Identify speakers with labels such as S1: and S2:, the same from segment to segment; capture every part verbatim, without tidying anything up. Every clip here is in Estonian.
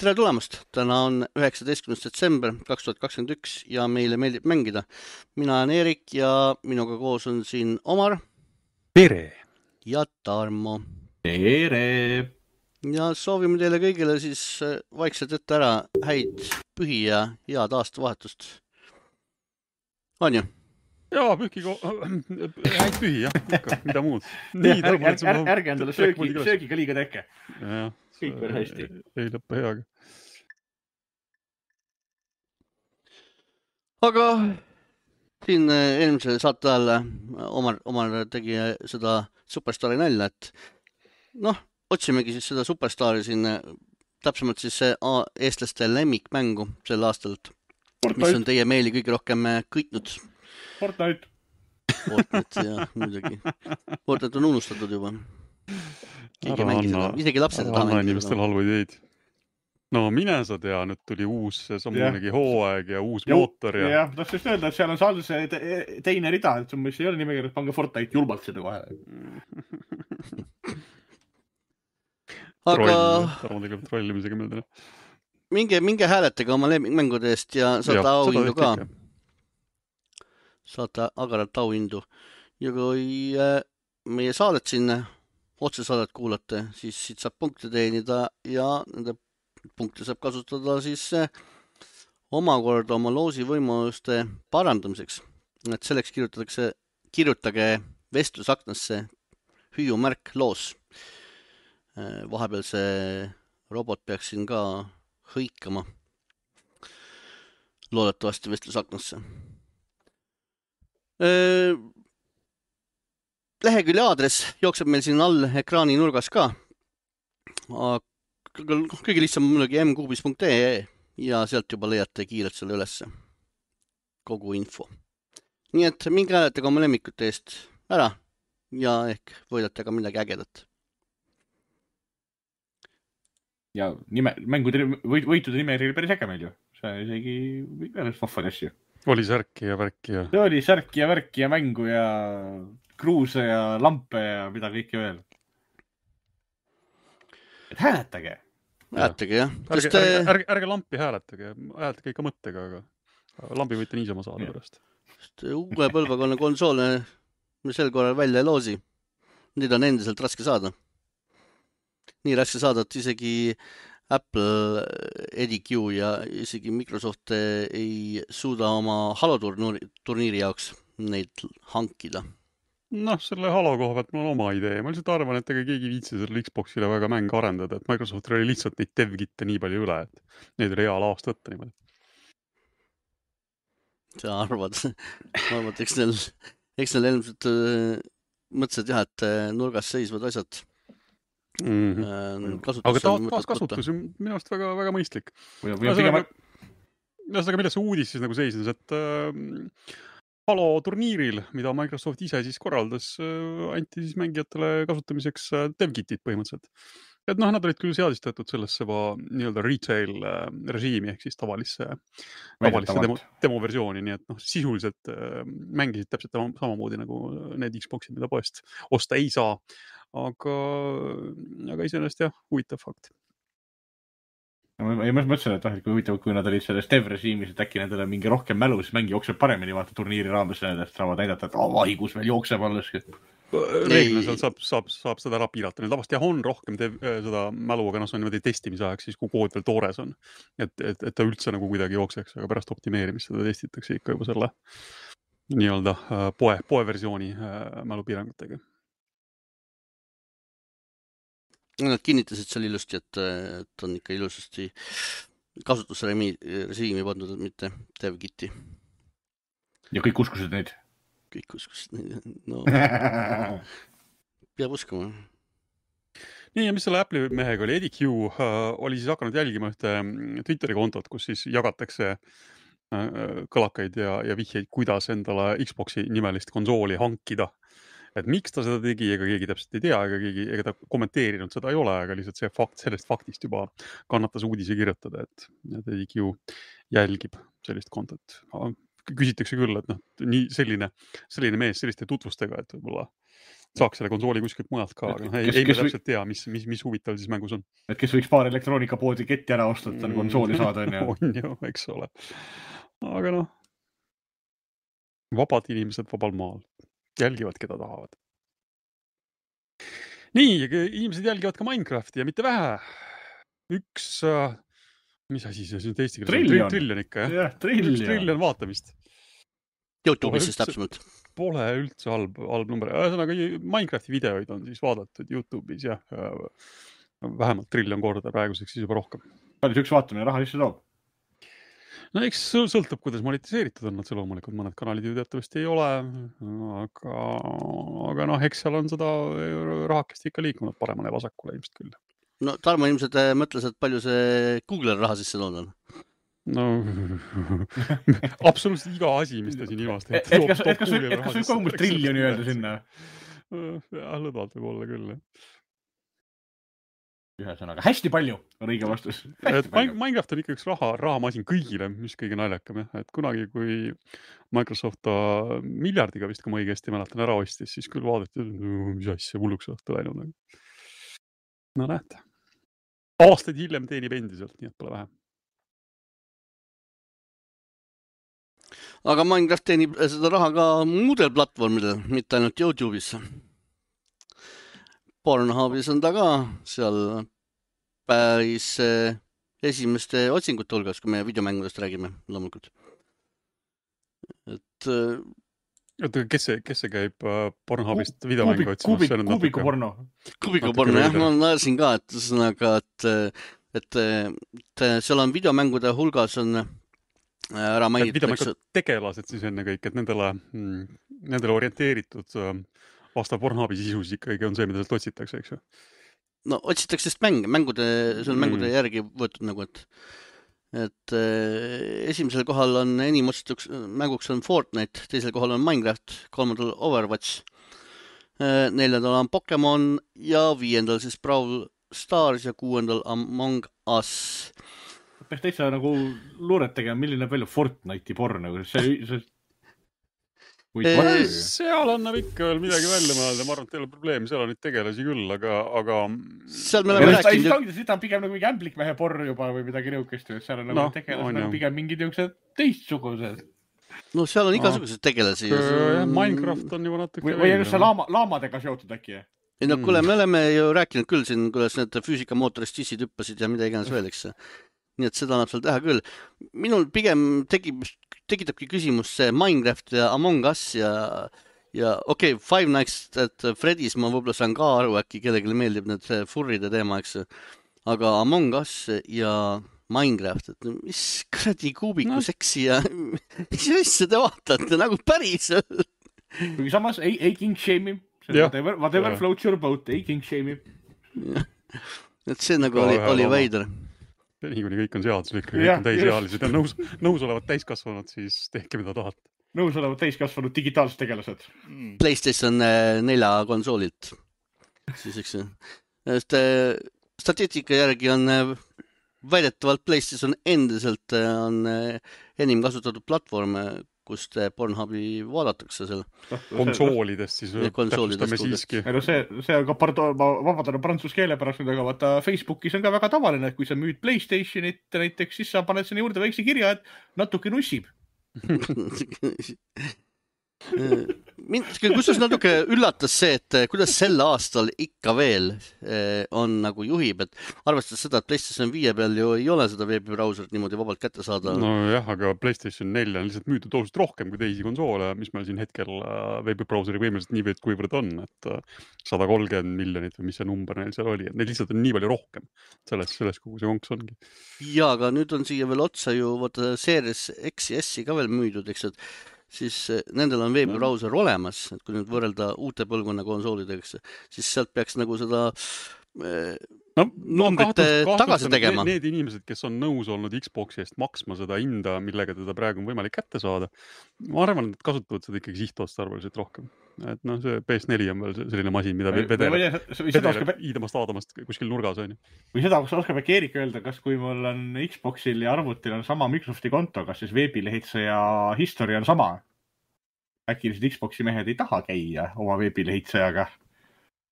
S1: tere tulemast! Täna on üheksateistkümnes detsember kaks tuhat kakskümmend üks ja meile meeldib mängida. Mina olen Erik ja minuga koos on siin Omar.
S2: Tere!
S1: Ja Tarmo.
S3: Tere!
S1: Ja soovime teile kõigile siis vaikselt ette ära häid pühi ja head aastavahetust. On ju?
S2: Jaa, pühki ko... häid pühi, jah, ikka, mida muud.
S3: Nii, ärge, ärge, ärge endale söögi, söögiga liiga tekke.
S2: Ja,
S3: kõik veel hästi.
S2: Ei lõppe heaga.
S1: Aga siin eelmise saate ajal Omar, Omar tegi seda superstaari nalja, et noh, otsimegi siis seda superstaari siin, täpsemalt siis eestlaste lemmikmängu sel aastal, mis on teie meeli kõige rohkem kõitnud.
S3: Fortnite.
S1: Fortnite, jah, muidugi. Fortnite on unustatud juba. Keegi mängi seda. Isegi lapsed
S2: taha mängida. Anna inimestel halva ideid. No mine sa tea, nüüd tuli uus samunegi hooaeg ja uus ja, mootor. Ja,
S3: ja tahtsin just öelda, et seal on seal see te teine rida, et mis ei ole nimekirjas, pange Fortnite julbalt seda kohe.
S1: Aga
S2: Tarmo tegeb trollimisega meeldele.
S1: Minge, minge hääletega oma lemmikmängude eest ja saate auhindu ka. Saate agaralt auhindu. Ja kui meie saadet sinna, otsesaadet kuulate, siis siit saab punkte teenida ja nende punkte saab kasutada siis omakorda oma loosi võimaluste parandamiseks. Et selleks kirjutatakse, kirjutage vestlusaknasse hüüumärk loos. Vahepeal see robot peaks siin ka hõikama. Loodetavasti vestlusaknasse. Lehekülje aadress jookseb meil siin all ekraani nurgas ka. Kõige lihtsam muidugi m kuubis punkt ee ja sealt juba leiate kiirelt selle ülesse. Kogu info. Nii et minge hääletega oma lemmikute eest ära ja ehk võidate ka midagi ägedat.
S3: Ja nime, mängude võitude nime oli päris äge meil ju. See isegi päris vahvad asju.
S2: Oli särki ja värki ja...
S3: See oli särki ja värki ja mängu ja kruuse ja lampe ja mida kõike veel. Et hääletage.
S1: Hääletage, jah.
S2: Ärge, te... ärge, ärge, ärge lampi hääletage. Hääletage ikka mõttega, aga lampi võite niisama saada pärast.
S1: Uue põlvekonna konsoole me sel korral välja ei loosi. Neid on endiselt raske saada. Nii raske saada, et isegi Apple, E D Q ja isegi Microsoft ei suuda oma Halo turniiri jaoks neid hankida.
S2: Noh, selle Halo koha pealt mul on oma idee. Ma lihtsalt arvan, et ega keegi viitsi selle Xboxile väga mänge arendada, et Microsoft oli lihtsalt neid dev-kitte nii palju üle, et neid oli hea laost võtta niimoodi.
S1: Sa arvad, ma arvan, et eks neil, eks neil ilmselt mõtlesid jah, et nurgas seisvad asjad
S2: Mm -hmm. aga ta, taas kasutus on minu arust väga, väga mõistlik. Ühesõnaga, milles see uudis siis nagu seisnes, et äh, Halo turniiril, mida Microsoft ise siis korraldas, äh, anti siis mängijatele kasutamiseks äh, dev-kitid põhimõtteliselt. Et noh, nad olid küll seadistatud sellesse va, nii-öelda retail äh, režiimi ehk siis tavalisse, tavalisse demo, demoversiooni, nii et noh, sisuliselt äh, mängisid täpselt samamoodi nagu need Xboxid, mida poest osta ei saa. Aga, aga iseenesest jah, huvitav fakt.
S3: Ma, ma mõtlesin, et, et kui huvitav, kui nad olid selles dev-režiimis, et äkki nendele mingi rohkem mälu, siis mängi jookseb paremini, vaata turniiri raames nendest saavad näidata, et oh, vaigus veel jookseb alles.
S2: Reeglina seal saab, saab, saab seda ära piirata. Neil tavast jah on rohkem dev, seda mälu, aga noh, see on niimoodi testimise ajaks, siis kui kood veel toores on. Et, et, et ta üldse nagu kuidagi jookseks, aga pärast optimeerimist seda testitakse ikka juba selle nii-öelda poe, poe versiooni mälupiirangutega.
S1: Nad kinnitasid seal ilusti, et, et on ikka ilusasti kasutusrežiimi pandud, mitte dev-kiti.
S3: Ja kõik uskusid neid?
S1: Kõik uskusid neid, no peab uskuma.
S2: Nii, ja mis selle Apple'i mehega oli? E D Q uh, oli siis hakanud jälgima ühte Twitteri kontot, kus siis jagatakse uh, kõlakaid ja, ja vihjeid, kuidas endale Xboxi nimelist konsooli hankida. Et miks ta seda tegi, ega keegi täpselt ei tea, ega, keegi, ega ta kommenteerinud seda ei ole, aga lihtsalt see fakt, sellest faktist juba kannatas uudise kirjutada, et E D Q jälgib sellist kontot. Küsitakse küll, et noh, nii selline, selline mees selliste tutvustega, et võib-olla saaks selle konsooli kuskilt mujalt ka, aga ei, ei me täpselt tea, mis, mis, mis huvitav siis mängus on.
S3: Et kes võiks paar elektroonikapoodi ketti ära osta, et konsooli saada, on ju.
S2: On ju, eks ole. Aga noh, vabad inimesed vabal maal. Jälgivad, keda tahavad. Nii, inimesed jälgivad ka Minecrafti ja mitte vähe. Üks, mis asi see on eesti keeles?
S3: Trillion.
S2: Trillion ikka, jah?
S3: Jah, trillion.
S2: Üks trillion vaatamist.
S1: YouTube'is siis täpsemalt.
S2: Pole üldse halb, halb number. Ühesõnaga, Minecrafti videoid on siis vaadatud YouTube'is, jah. Vähemalt trillion korda, praeguseks siis juba rohkem.
S3: Palju see üks vaatamine raha sisse toob?
S2: No eks sõltub, kuidas monetiseeritud on nad see loomulikult. Mõned kanalid ju teatavasti ei ole, aga, aga noh, eks seal on seda rahakest ikka liikunud paremale ja vasakule ilmselt küll.
S1: No Tarmo ilmselt mõtles, et palju see Google raha sisse toonud on.
S2: No, absoluutselt iga asi, mis ta siin ilmast
S3: et, et kas, et kas, et kas võib kogumus triljoni öelda sinna?
S2: Ja, lõdvalt võib olla küll.
S3: Ühesõnaga, hästi palju on õige vastus.
S2: Et Minecraft on ikka üks raha, rahamasin kõigile, mis kõige naljakam. Et kunagi, kui Microsoft miljardiga vist, kui ma õigesti mäletan, ära ostis, siis küll vaadati, mis asja hulluks õhtu läinud. No näete. Aastaid hiljem teenib endiselt, nii et pole vähe.
S1: Aga Minecraft teenib seda raha ka muudel platvormidel, mitte ainult YouTube'is. Pornhubis on ta ka seal päris esimeste otsingute hulgas, kui me videomängudest räägime, loomulikult. Et...
S2: Oota, kes see, kes see käib Pornhubist videomängu otsimas?
S3: Kubiku porno.
S1: Kubiku porno, jah. Ma näesin ka, et, sõnaga, et, et, et seal on videomängude hulgas on ära mainitakse.
S2: Tegelased siis enne kõik, et nendele, nendele orienteeritud vastav Pornhubi sisus ikkagi on see, mida sealt otsitakse, eks ju?
S1: No otsitakse sest mänge, mängude, see on mängude mm. järgi võetud nagu, et et äh, esimesel kohal on enim otsituks mänguks on Fortnite, teisel kohal on Minecraft, kolmandal Overwatch, äh, neljandal on Pokemon ja viiendal siis Brawl Stars ja kuuendal Among Us.
S3: Peaks täitsa nagu luuret tegema, milline palju Fortnite'i porno, see, see...
S2: Eee, seal annab ikka veel midagi välja mõelda, ma arvan, et ei ole probleemi, seal on neid tegelasi küll, aga... aga...
S1: Seal me oleme
S3: rääkinud... Seda on pigem nagu mingi ämblikmehe porno juba või midagi nõukest, seal on nagu no, tegelased on nagu pigem mingid niisugused teistsugused.
S1: No seal on igasugused no. tegelasi.
S2: Ja Minecraft on juba natuke...
S3: Või, või just see laama, laamadega seotud äkki?
S1: Ei no kuule, me oleme ju rääkinud küll siin, kuidas need füüsikamootorist sissid hüppasid ja mida iganes veel, eks. Nii et seda annab seal teha küll. Minul pigem tekib, tekitabki küsimus see Minecraft ja Among Us ja, ja okei, okay, Five Nights at Freddy's ma võib-olla saan ka aru, äkki kellelegi meeldib need furride teema, eks. Aga Among Us ja Minecraft, et mis kradi kuubiku no. seksi ja mis asja te vaatate nagu päris.
S3: Kuigi samas ei, ei king shame whatever, whatever floats your boat, ei king shame.
S1: Et see nagu oli, oli veider.
S2: Nii kuni kõik on seaduslik, kõik on täisealised ja nõus, nõus olevad täiskasvanud, siis tehke mida tahate.
S3: Nõus olevad täiskasvanud digitaalsed tegelased.
S1: PlayStation nelja konsoolilt. Siis eks statistika järgi on väidetavalt PlayStation endiselt on enim kasutatud platvorm, kust Pornhubi vaadatakse seal.
S2: Konsoolidest siis täpsustame siiski.
S3: No see, see on ka, pardon, ma vabandan prantsuse keele pärast, aga vaata Facebookis on ka väga tavaline, et kui sa müüd PlayStationit näiteks, siis sa paned sinna juurde väikse kirja, et natuke nussib.
S1: Mind, kusjuures natuke üllatas see, et kuidas sel aastal ikka veel on nagu juhib, et arvestades seda, et PlayStation viie peal ju ei ole seda veebibrauserit niimoodi vabalt kätte saada.
S2: No jah, aga PlayStation neli on lihtsalt müütud oluliselt rohkem kui teisi konsoole, mis meil siin hetkel veebibrauseri võimeliselt nii võid kuivõrd on, et sada kolmkümmend miljonit või mis see number neil seal oli, et neil lihtsalt on nii palju rohkem selles, selles kogu see konks ongi.
S1: Ja, aga nüüd on siia veel otsa ju vaata Series X ja S-i ka veel müüdud, eks, et siis nendel on veebibrauser olemas, et kui nüüd võrrelda uute põlvkonna konsoolideks, siis sealt peaks nagu seda no, numbrite no, tagasi tegema.
S2: Need inimesed, kes on nõus olnud Xboxi eest maksma seda hinda, millega teda praegu on võimalik kätte saada, ma arvan, et kasutavad seda ikkagi sihtotstarbeliselt rohkem. Et noh, see P S neli on veel selline masin, mida vedeleb iidamast aadamast kuskil nurgas on.
S3: Või seda, kus oskab äkki Eerik öelda, kas kui mul on Xboxil ja arvutil on sama Microsofti konto, kas siis veebilehitseja history on sama? Äkki lihtsalt Xboxi mehed ei taha käia oma veebilehitsejaga?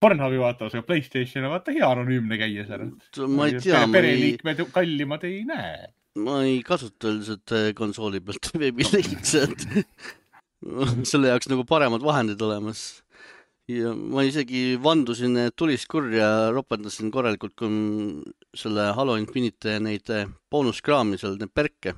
S3: Pornhubi vaatavas, aga PlayStation on vaata hea anonüümne käia seal.
S1: Ma ei tea,
S3: pereliikmed kallimad ei näe.
S1: Ma ei kasuta üldiselt konsooli pealt veebilehitsed. Selle jaoks nagu paremad vahendid olemas. Ja ma isegi vandusin tulist kurja, ropendasin korralikult, kui selle Halo Infinite neid boonuskraami seal, need perke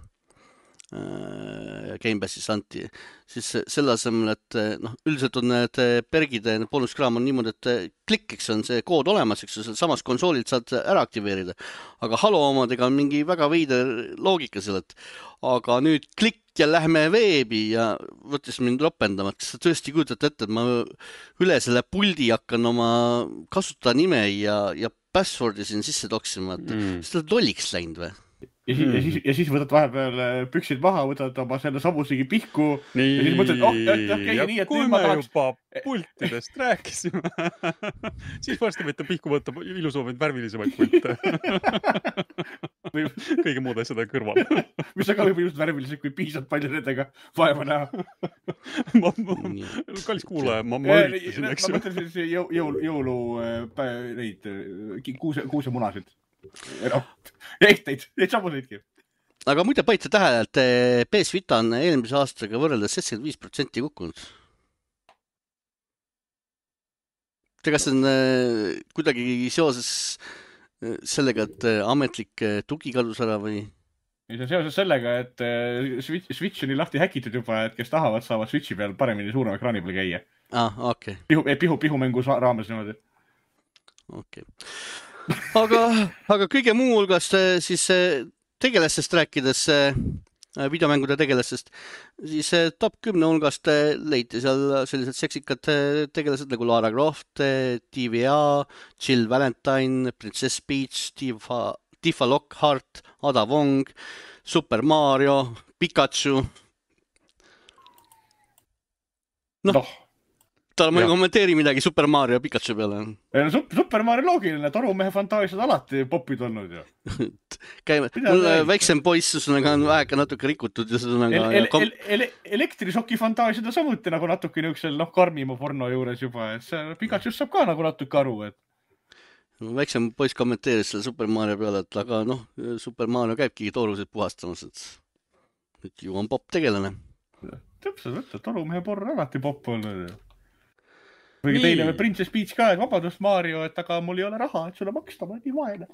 S1: Gamepassis anti, siis selle asemel, et noh, üldiselt on need pergid, need boonuskraam on niimoodi, et klikiks on see kood olemas, eks ju, samas konsoolilt saad ära aktiveerida. Aga Halo omadega on mingi väga veider loogika seal, et aga nüüd klikk ja lähme veebi ja võttis mind ropendama, et kas sa tõesti kujutate ette, et ma üle selle puldi hakkan oma kasutajanime ja, ja passwordi siin sisse toksima, et mm. seda lolliks läinud või?
S3: Ja siis, mm. ja, siis, ja siis võtad vahepeal püksid maha, võtad oma selle samusegi pihku nii, ja siis mõtled, oh, jah, jah, käi nii, et
S2: kui me tahaks... juba pultidest rääkisime, siis varsti võite pihku võtta ilusamaid värvilisemaid pulte. Kõige muud asjad on kõrval.
S3: Mis on ka võib just värvilised, kui piisad palju nendega vaeva näha.
S2: ma, ma, kallis kuulaja, ma, ma üritasin, eks ju.
S3: Ma mõtlen siis jõulu, jõulu neid kuuse, kuuse munasid. Ehteid, neid samuseidki.
S1: Aga muide paita tähele, et P S Vita on eelmise aastaga võrreldes seitsekümmend viis protsenti kukkunud. Te kas on kuidagi seoses sellega, et ametlik tugi kadus ära või?
S3: See on seoses sellega, et Switch, Switch on nii lahti häkitud juba, et kes tahavad, saavad Switchi peal paremini suurema ekraani peal käia.
S1: Ah, okei. Okay.
S3: Pihu, pihu, pihumängu raames niimoodi.
S1: Okei. Okay. Aga, aga kõige muu hulgas siis tegelastest rääkides, videomängude tegelastest, siis top kümne hulgast leiti seal sellised seksikad tegelased nagu Lara Croft, T V A, Jill Valentine, Princess Peach, Tifa, Tifa Lockhart, Ada Wong, Super Mario, Pikachu. Noh. No. Tal ma ei kommenteeri midagi Super Mario Pikachu peale.
S3: No, Super Mario loogiline, torumehe fantaasiad alati popid olnud ju.
S1: Käime, mul väiksem poiss on väheka natuke rikutud. Ja
S3: el, el, kom... el, el, elektrisoki fantaasiad on samuti nagu natuke niisugusel noh, karmima porno juures juba. Et see Pikachu saab ka nagu natuke aru. Et...
S1: Väiksem poiss kommenteeris selle Super Mario peale, et aga noh, Super Mario käibki toorusid puhastamas. Et nüüd ju on pop tegelane.
S3: Täpselt võtta, torumehe porno alati pop olnud. Või teile või Princess Peach ka, et vabadust Mario, et aga mul ei ole raha, et sulle maksta, ma olen nii vaene.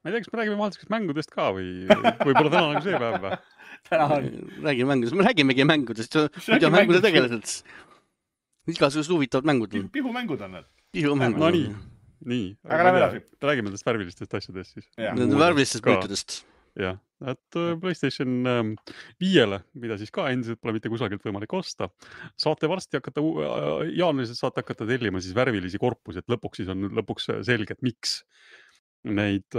S2: Ma ei tea, kas me räägime vahetusest mängudest ka või võib-olla täna nagu see päev või?
S3: Täna on.
S1: Räägime mängudest, me räägimegi mängudest, mida mängude tegelased. Igasugused huvitavad mängud.
S3: Pihumängud on need.
S1: Pihumängud.
S2: No nii, nii.
S3: Aga lähe edasi.
S2: Räägime nendest värvilistest asjadest siis.
S1: Nende värvilistest mõõtudest.
S2: Jah, et PlayStation viiele, mida siis ka endiselt pole mitte kusagilt võimalik osta, saate varsti hakata, jaanuariselt saate hakata tellima siis värvilisi korpusi, et lõpuks siis on lõpuks selge, et miks neid,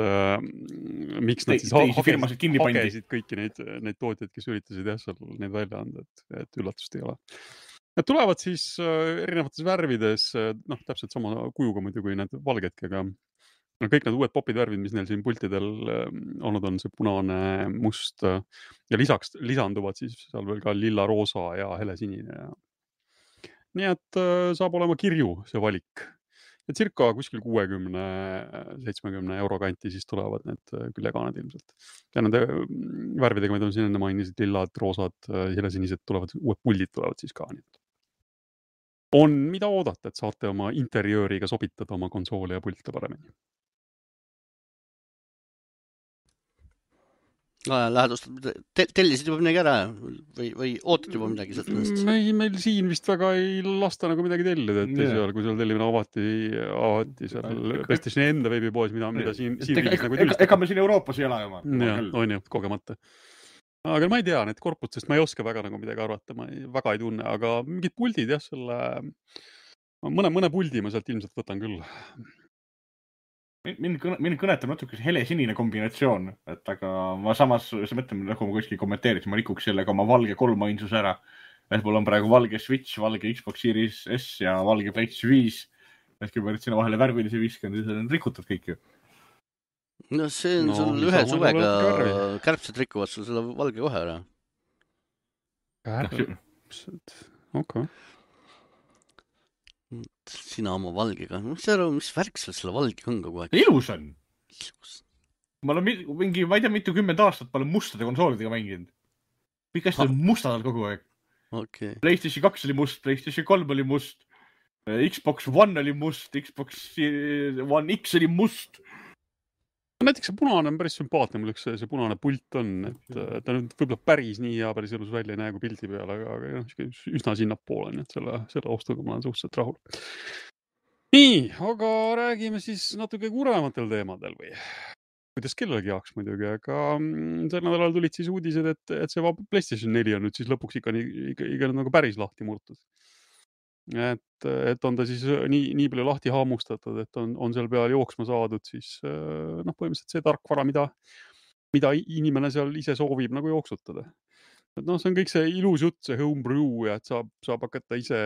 S2: miks nad siis hagesid, hagesid kõiki neid, neid tootjaid, kes üritasid jah, seal neid välja anda, et, et üllatust ei ole. Need tulevad siis erinevates värvides, noh, täpselt sama kujuga muidu kui need valgedki, aga no kõik need uued popid värvid, mis neil siin pultidel olnud on, see punane, must ja lisaks lisanduvad siis seal veel ka lilla, roosa ja helesinine. Nii et saab olema kirju see valik. Ja circa kuskil kuuekümne seitsmekümne euro kanti siis tulevad need küljegaaned ilmselt. Ja nende värvidega, mida on siin enne mainisid, lillad, roosad, helesinised tulevad, uued puldid tulevad siis ka. On mida oodata, et saate oma interjööriga sobitada oma konsooli ja pulte paremini.
S1: Lähedustad, tellisid juba midagi ära või, või ootad juba midagi sealt ennast?
S2: Meil, meil siin vist väga ei lasta nagu midagi tellida, et yeah. seal, kui seal tellimine avati, avati seal PlayStation enda veebipoes, mida, mida siin, siin
S3: ega, nagu ega, ega me siin Euroopas ei ela juba.
S2: Ja, on ju, kogemata. Aga ma ei tea, need korputest ma ei oska väga nagu midagi arvata, ma ei, väga ei tunne, aga mingid puldid jah, selle mõne, mõne puldi ma sealt ilmselt võtan küll.
S3: Mind, mind kõnetab natuke helesinine kombinatsioon, et aga ma samas, see mõtlem, nagu ma kuskil kommenteeriks, ma rikuks sellega oma valge kolmainsus ära. Et mul on praegu valge Switch, valge Xbox Series S ja valge PlayStation viis. Et kui ma nüüd sinna vahele värvilisi viskan, siis on rikutud kõik ju.
S1: No see on no, sul ühe suvega, kärbsed rikuvad sul selle valge kohe ära.
S2: Kärbsed, okei. Okay.
S1: Sina oma valgega. Mis, aru, mis värk sul selle valge on kogu aeg?
S3: Ilus on. Ilus. Ma olen mingi, ma ei tea, mitu kümmend aastat ma olen mustade konsoolidega mänginud. Kõik asjad on mustadal kogu aeg.
S1: Okay.
S3: PlayStation kaks oli must, PlayStation kolm oli must, Xbox One oli must, Xbox One X oli must.
S2: Näiteks see punane on päris sümpaatne, mul üks see, see punane pult on, et ta nüüd võib-olla päris nii hea päris elus välja ei näe kui pildi peal, aga, aga üsna sinnapoole, nii et selle, selle ostuga ma olen suhteliselt rahul. Nii, aga räägime siis natuke kurematel teemadel või? Kuidas kellelgi jaoks muidugi, aga sel nädalal tulid siis uudised, et, et see PlayStation neli on nüüd siis lõpuks ikka, ikka, ikka nagu päris lahti murtud. Et, et on ta siis nii, nii palju lahti haamustatud, et on, on seal peal jooksma saadud siis noh, põhimõtteliselt see tarkvara, mida, mida inimene seal ise soovib nagu jooksutada. Et noh, see on kõik see ilus jutt, see homebrew ja et saab, saab hakata ise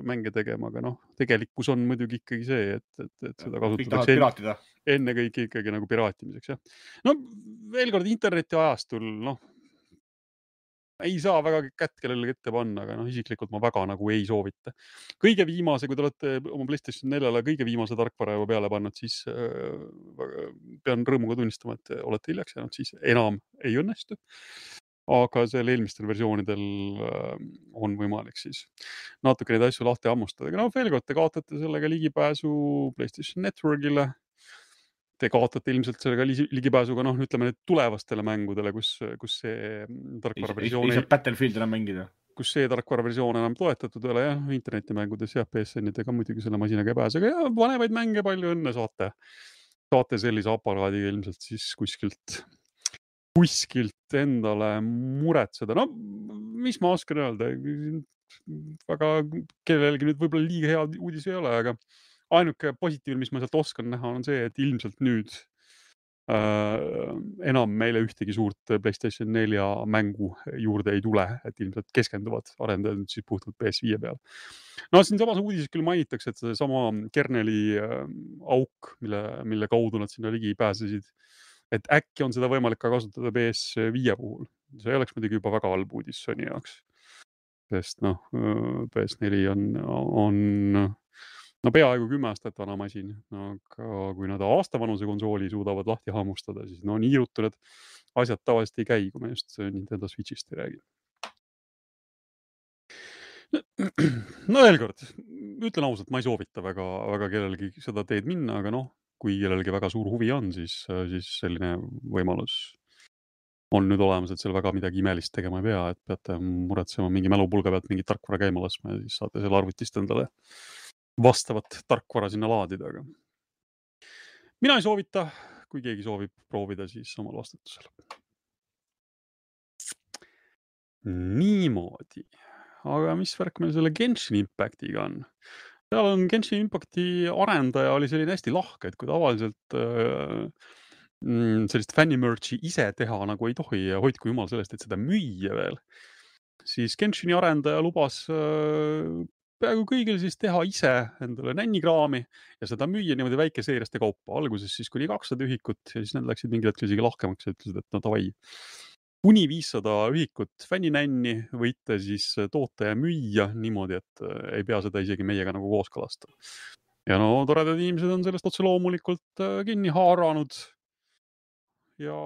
S2: mänge tegema, aga noh, tegelikkus on muidugi ikkagi see, et, et, et seda kasutatakse enne, enne kõik ikkagi nagu piraatimiseks. Ja. No veel kord interneti ajastul, noh, ei saa väga kätt kellelegi ette panna, aga noh, isiklikult ma väga nagu ei soovita. Kõige viimase, kui te olete oma PlayStation neljale kõige viimase tarkvara juba peale pannud, siis äh, pean rõõmuga tunnistama, et olete hiljaks jäänud, siis enam ei õnnestu. Aga seal eelmistel versioonidel äh, on võimalik siis natuke neid asju lahti hammustada. Aga no veel kord, te kaotate sellega ligipääsu PlayStation Networkile. Te kaotate ilmselt sellega ligipääsuga, noh, ütleme need tulevastele mängudele, kus, kus see tarkvara versioon
S3: ei, ei, ei Battlefield enam mängida.
S2: Kus see tarkvara versioon enam toetatud ole, jah, internetimängudes ja P S N-idega muidugi selle masinaga ei pääse, aga ja vanemaid mänge palju õnne saate. Saate sellise aparaadiga ilmselt siis kuskilt, kuskilt endale muretseda. No, mis ma oskan öelda? Väga kellelgi nüüd võib-olla liiga hea uudis ei ole, aga ainuke positiivne, mis ma sealt oskan näha, on see, et ilmselt nüüd äh, enam meile ühtegi suurt PlayStation nelja mängu juurde ei tule, et ilmselt keskenduvad arendajad siis puhtalt P S viie peal. No siin samas uudises küll mainitakse, et see sama kerneli äh, auk, mille, mille kaudu nad sinna ligi pääsesid, et äkki on seda võimalik ka kasutada P S viie puhul. See oleks muidugi juba väga halb uudis Sony jaoks. Sest noh, P S neli on, on no peaaegu kümme aastat vana masin, aga kui nad aastavanuse konsooli suudavad lahti haamustada, siis no nii ruttu need asjad tavaliselt ei käi, kui me just Nintendo Switchist ei räägi. No veel kord, ütlen ausalt, ma ei soovita väga, väga kellelgi seda teed minna, aga noh, kui kellelgi väga suur huvi on, siis, siis selline võimalus on nüüd olemas, et seal väga midagi imelist tegema ei pea, et peate muretsema mingi mälupulga pealt mingit tarkvara käima laskma ja siis saate selle arvutist endale vastavat tarkvara sinna laadida. Aga mina ei soovita, kui keegi soovib proovida, siis omal vastutusel. Niimoodi. Aga mis värk meil selle Genshin Impactiga on? Seal on Genshin Impacti arendaja oli selline hästi lahke, et kui tavaliselt äh, sellist fännimerchi ise teha nagu ei tohi ja hoidku jumal sellest, et seda müüa veel, siis Genshini arendaja lubas äh, peaaegu kõigil siis teha ise endale nännikraami ja seda müüa niimoodi väikeseeriaste kaupa. Alguses siis kuni kakssada ühikut ja siis need läksid mingil hetkel isegi lahkemaks ja ütlesid, et no tavai. Kuni viissada ühikut fänninänni võite siis toota ja müüa niimoodi, et ei pea seda isegi meiega nagu kooskõlastada. Ja no toredad inimesed on sellest otse loomulikult kinni haaranud ja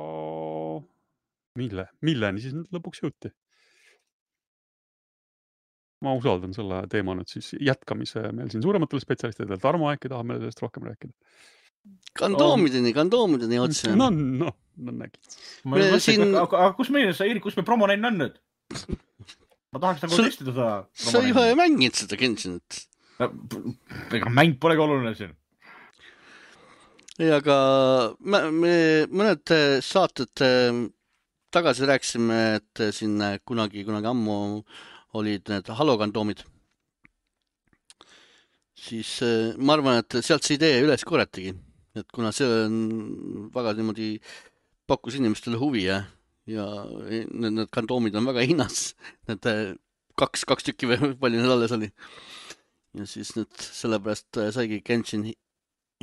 S2: mille, milleni siis nüüd lõpuks jõuti? Ma usaldan selle teema nüüd siis jätkamise meil siin suurematele spetsialistidele. Tarmo äkki tahab meile sellest rohkem rääkida.
S1: Kandoomideni, kandoomideni otse.
S2: No, no, no nägid.
S3: Ma mõtlen, siin... aga, aga kus meil, Erik, kus me promonenn on nüüd? Ma tahaks nagu testida seda.
S1: Sa juba ei mängid seda Genshinit.
S3: Ega mäng polegi oluline siin.
S1: Ei, aga me, me mõned saated tagasi rääkisime, et siin kunagi, kunagi ammu olid need halokandoomid. Siis ma arvan, et sealt see idee üles korratigi. Et kuna see on väga niimoodi pakkus inimestele huvi ja, ja need, need kandoomid on väga hinnas. Need kaks, kaks tükki või palju need alles oli. Ja siis nüüd sellepärast saigi Genshin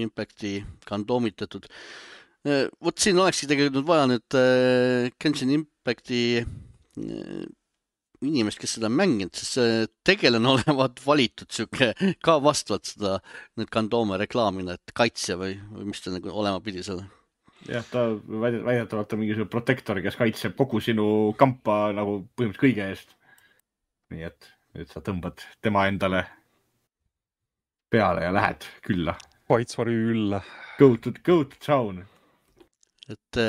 S1: Impacti kandoomitatud. Vot siin olekski tegelikult vaja nüüd Genshin Impacti inimest, kes seda on mänginud, sest see tegelane olevat valitud siuke ka vastavalt seda nüüd Kandoome reklaamina, et kaitsja või, või mis ta nagu olema pidi seal.
S3: Jah, ta väidetavalt on mingisugune protektor, kes kaitseb kogu sinu kampa nagu põhimõtteliselt kõige eest. Nii et nüüd sa tõmbad tema endale peale ja lähed külla.
S2: Kaitsvari ülle.
S3: Go to, go to town.
S1: Et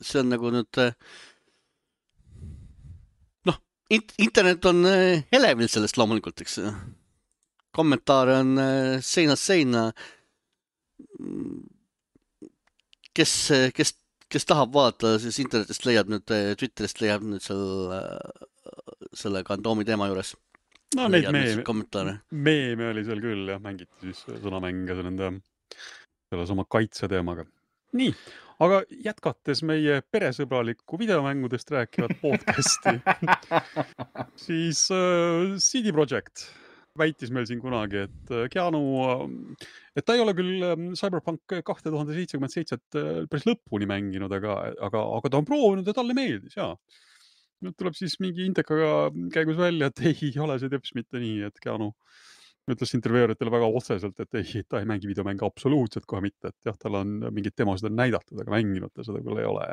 S1: see on nagu nüüd noh, internet on elevil sellest loomulikult, eks. Kommentaare on seinast seina. Kes, kes, kes tahab vaadata, siis internetist leiab nüüd, Twitterist leiab nüüd selle, selle Kandoomi teema juures.
S2: No neid meeme, meeme oli seal küll, jah, mängiti siis sõnamänge nende selles oma kaitse teemaga. Nii, aga jätkates meie peresõbralikku videomängudest rääkivat podcasti, siis uh, C D Projekt väitis meil siin kunagi, et Keanu, et ta ei ole küll Cyberpunk kaks tuhat seitsekümmend seitse päris lõpuni mänginud, aga, aga, aga ta on proovinud ja talle meeldis, jaa. Nüüd tuleb siis mingi Intekaga käigus välja, et ei ole see teps mitte nii, et Keanu ütles intervjueeritele väga otseselt, et ei, ta ei mängi videomänge absoluutselt kohe mitte, et jah, tal on mingid demosid on näidatud, aga mänginud ta seda küll ei ole.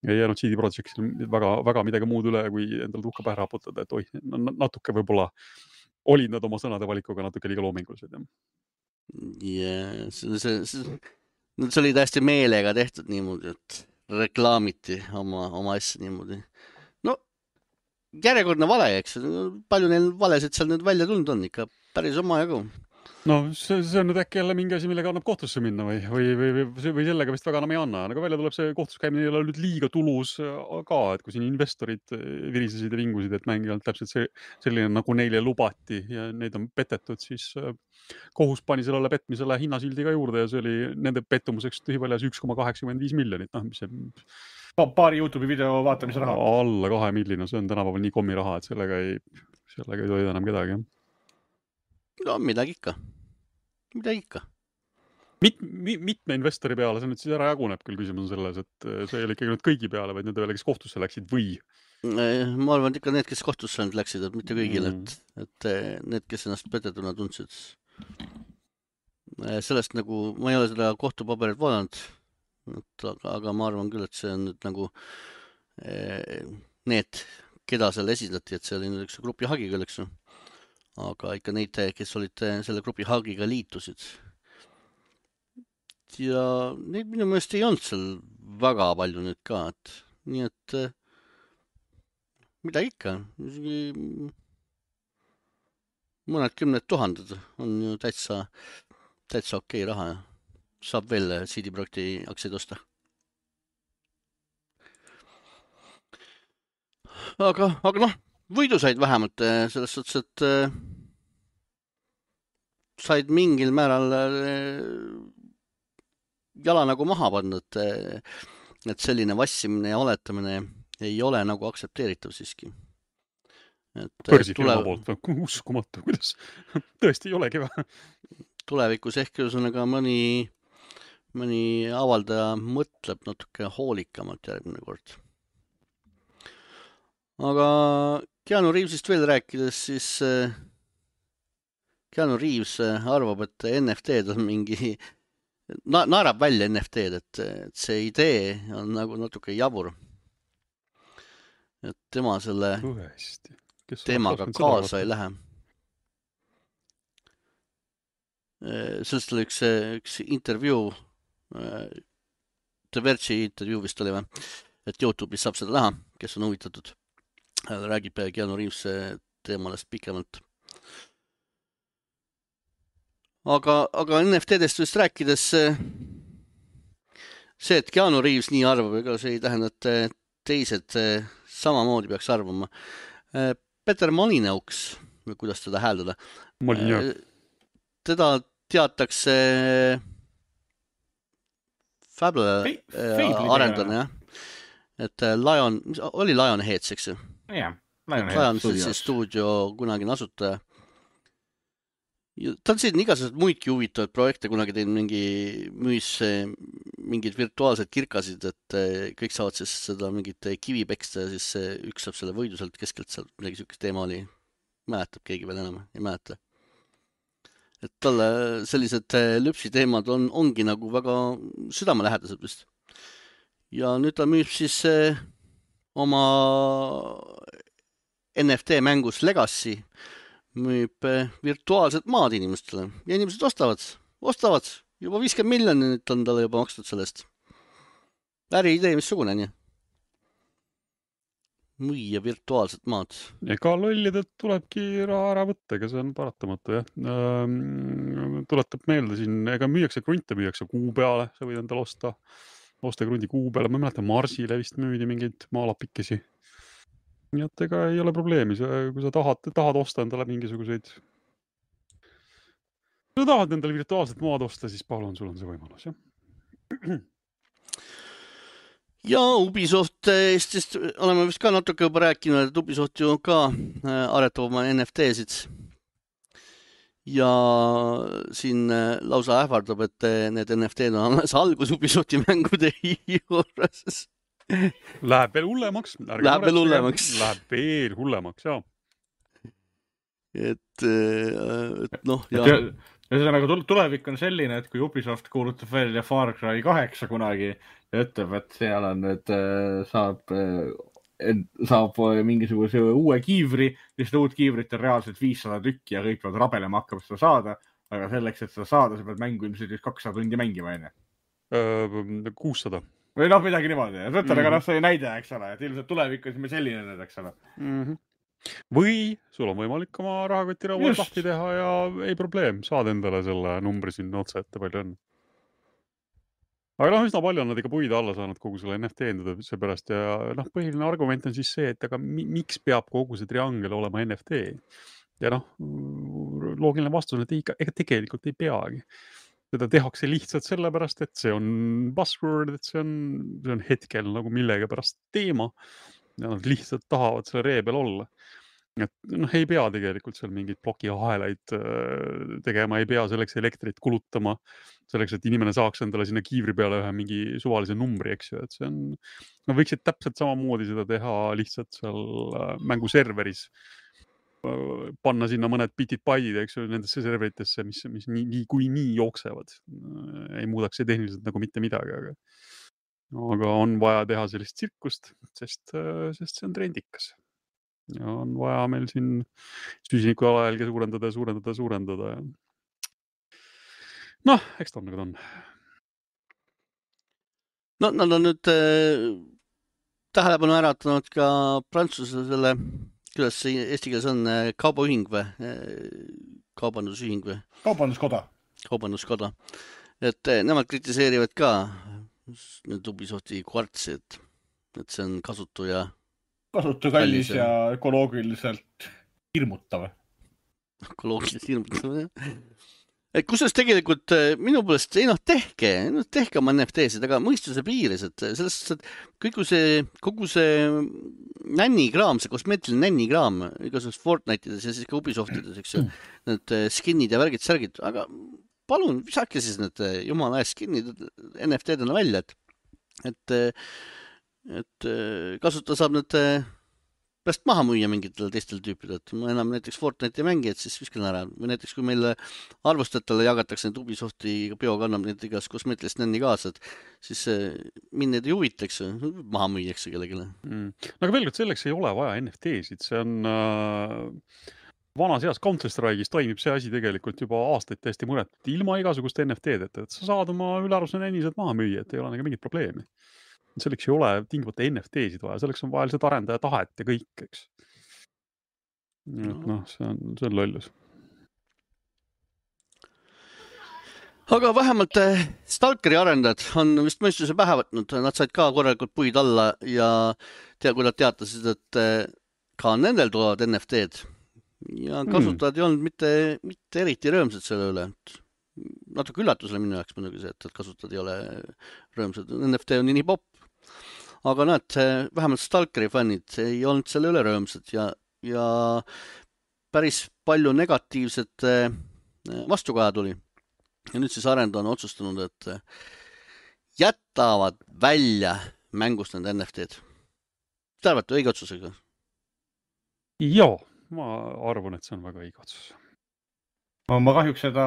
S2: Ei jäänud C D Projektil väga, väga midagi muud üle, kui endal tuhka pähe raputada, et oi, natuke võib-olla olid nad oma sõnade valikuga natuke liiga loomingulised.
S1: Yeah, see, see, see, see oli täiesti meelega tehtud niimoodi, et reklaamiti oma, oma asja niimoodi. No, järjekordne vale, eks. Palju neil valesid seal nüüd välja tulnud on ikka päris oma jagu.
S2: No, see, see on nüüd äkki jälle mingi asi, millega annab kohtusse minna või, või, või, või, või sellega vist väga enam ei anna. Aga välja tuleb see kohtus käimine ei ole nüüd liiga tulus ka, et kui siin investorid virisesid ja vingusid, et mängijalt täpselt see, selline nagu neile lubati ja neid on petetud, siis kohus pani sellele petmisele hinnasildi ka juurde ja see oli nende pettumuseks tühiväljas üks koma kaheksakümmend viis miljonit. No, mis see...
S3: Paari YouTube'i video vaatamise raha.
S2: Alla kahe millina, see on tänapäeval nii kommi raha, et sellega ei, sellega ei toida enam kedagi.
S1: No, midagi ikka. Midagi ikka.
S2: Mit, mitme investori peale see nüüd siis ära jaguneb küll, küsimus on selles, et see ei ole ikkagi nüüd kõigi peale, vaid need veel, kes kohtusse läksid või?
S1: Ma arvan, et ikka need, kes kohtusse nüüd läksid, et mitte kõigile, et, et need, kes ennast petetuna tundsid. Sellest nagu, ma ei ole seda kohtupaberit vaadanud, aga, aga ma arvan küll, et see on nüüd nagu need, keda seal esindati, et see oli nüüd üks grupi hagi küll, eks ju. Aga ikka neid, kes olid selle grupi hagiga liitusid. Ja neid minu meelest ei olnud seal väga palju nüüd ka, et nii et mida ikka, mõned kümned tuhanded on ju täitsa, täitsa okei raha ja saab veel C D Projekti aktsiaid osta. Aga, aga noh, võidu said vähemalt selles suhtes, et said mingil määral jala nagu maha pannud, et selline vassimine ja oletamine ei ole nagu aksepteeritav siiski.
S2: Põrsifirma poolt, uskumatu, kuidas tõesti ei olegi vähe.
S1: Tulevikus ehk ühesõnaga mõni, mõni avaldaja mõtleb natuke hoolikamalt järgmine kord. Aga Keanu Reevesist veel rääkides, siis Keanu Reeves arvab, et N F T-d on mingi, na naerab välja N F T-d, et, et see idee on nagu natuke jabur. Et tema selle teemaga kaasa ei lähe. Sellest oli üks, üks intervjuu, The Verge'i intervjuu vist oli või, et YouTube'is saab seda näha, kes on huvitatud. Räägib Keanu Reeves teemalest pikemalt. Aga, aga N F T-dest vist rääkides see, et Keanu Reeves nii arvab, ega see ei tähenda, et teised samamoodi peaks arvama. Peter Molineux, kuidas teda hääldada?
S2: Molineux.
S1: Teda teatakse Fable arendana, jah. Et Lion, oli Lionheads, eks ju?
S3: Jah,
S1: Lionheads Studios. Stuudio kunagine asutaja. Ta on siin igasugused muidki huvitavad projekte, kunagi tein mingi müüs mingid virtuaalsed kirkasid, et kõik saavad siis seda mingit kivi peksta ja siis üks saab selle võidu sealt keskelt, sealt midagi sükest teema oli. Mäletab keegi veel enam, ei mäleta. Et talle sellised lüpsiteemad on, ongi nagu väga südamelähedased vist. Ja nüüd ta müüb siis oma N F T mängus Legacy, müüb virtuaalset maad inimestele ja inimesed ostavad, ostavad. Juba viiskümmend miljonit on talle juba makstud sellest. Äri idee missugune, nii? Müüa virtuaalset maad.
S2: Ega lollidelt tulebki raha ära võtta, ega see on paratamatu, jah. Ähm, tuletab meelde siin, ega müüakse krunte, müüakse kuu peale, sa võid endale osta. Osta krundi kuu peale, ma mäletan Marsile vist müüdi mingeid maalapikesi. Nii et ega ei ole probleemi, kui sa tahad, tahad osta endale mingisuguseid kui sa tahad endale virtuaalset maad osta, siis palun, sul on see võimalus, jah.
S1: Ja Ubisoft Eestist oleme vist ka natuke juba rääkinud, et Ubisoft ju ka aretab oma N F T-sid. Ja siin lausa ähvardab, et need N F T-d on alles algus Ubisofti mängude juures.
S2: Läheb veel hullemaks.
S1: Läheb veel hullemaks.
S2: Läheb veel hullemaks, jah.
S1: Et, et noh, jah.
S3: Ühesõnaga tulevik on selline, et kui Ubisoft kuulutab välja Far Cry kaheksa kunagi ja ütleb, et seal on, et saab, saab mingisuguse uue kiivri, siis uut kiivrit on reaalselt viissada tükki ja kõik peavad rabelema hakkab seda saada, aga selleks, et seda saada, sa pead mängu ilmselt kakssada tundi mängima, enne.
S2: kuussada.
S3: Või noh, midagi niimoodi. Võtta, aga noh, see näide, eks ole, et ilmselt tulevik on selline nüüd, eks ole.
S2: Mhm. Või sul on võimalik oma rahakoti rauad lahti teha ja ei probleem, saad endale selle numbri sinna otsa ette palju on. Aga noh, üsna palju on nad ikka puid alla saanud kogu selle N F T enduda seepärast ja noh, põhiline argument on siis see, et aga miks peab kogu see triangel olema N F T? Ja noh, loogiline vastus on, et ega, ega tegelikult ei peagi. Seda tehakse lihtsalt sellepärast, et see on buzzword, et see on, see on hetkel nagu millega pärast teema ja nad lihtsalt tahavad selle ree peal olla. Et noh, ei pea tegelikult seal mingid blokiahelaid tegema, ei pea selleks elektrit kulutama, selleks, et inimene saaks endale sinna kiivri peale ühe mingi suvalise numbri, eks ju, et see on, no võiksid täpselt samamoodi seda teha lihtsalt seal mänguserveris, panna sinna mõned bitid paidid, eks ju, nendesse serveritesse, mis, mis nii, nii kui nii jooksevad. Ei muudaks see tehniliselt nagu mitte midagi, aga, aga on vaja teha sellist tsirkust, sest, sest see on trendikas. Ja on vaja meil siin süsiniku alajälge suurendada, suurendada, suurendada. Noh, eks ta on nagu ta on.
S1: No, nad on nüüd äh, tähelepanu äratanud ka Prantsuse selle, kuidas see eesti keeles on, kaubaühing või? Kaubandusühing või?
S3: Kaubanduskoda.
S1: Kaubanduskoda. Et nemad kritiseerivad ka nüüd Ubisofti kvartsi, et, et see on kasutu ja
S3: kasutu kallis ja ökoloogiliselt hirmutav.
S1: Ökoloogiliselt hirmutav, jah. Et kusjuures tegelikult minu poolest, ei noh, tehke, tehke oma N F T-sid, aga mõistuse piires, et sellest, et kogu see, kogu see nännikraam, see kosmeetiline nännikraam, igasugust Fortnite'ides ja siis ka Ubisoftides, eks ju, need skinnid ja värgid, särgid, aga palun, visake siis need jumala ees skinnid N F T-dena välja, et, et et kasutada saab need pärast maha müüa mingitele teistele tüüpidele, et ma enam näiteks Fortnite'i mängi, et siis viskan ära. Või näiteks kui meil arvustajatele jagatakse need Ubisofti bio kannab need igas kosmeetilist nänni kaasa, et siis mind need ei huvitaks, maha müüakse kellegile.
S2: Mm. No aga veel kord selleks ei ole vaja N F T-sid, see on äh, vanas heas Counter-Strike'is toimib see asi tegelikult juba aastaid täiesti mõretult, ilma igasuguste N F T-deta, et sa saad oma ülearvuse nännised maha müüa, et ei ole nagu mingit probleemi. Selleks ei ole tingimata N F T-sid vaja, selleks on vaja lihtsalt arendaja tahet ja kõik, eks. No, noh, see on, see on lollus.
S1: Aga vähemalt Stalkeri arendajad on vist mõistuse pähe võtnud, nad said ka korralikult puid alla ja tea, kui nad teatasid, et ka nendel tulevad N F T-d ja kasutajad mm. ei olnud mitte, mitte eriti rõõmsad selle üle. Natuke üllatusele minu jaoks muidugi see, et kasutajad ei ole rõõmsad. N F T on nii popp. Aga näed, vähemalt Stalkeri fännid ei olnud selle üle rõõmsad ja, ja päris palju negatiivset vastukaja tuli. Ja nüüd siis arendaja on otsustanud, et jätavad välja mängust need N F T-d. Te arvate õige otsusega?
S2: Joo, ma arvan, et see on väga õige otsus.
S3: Ma kahjuks seda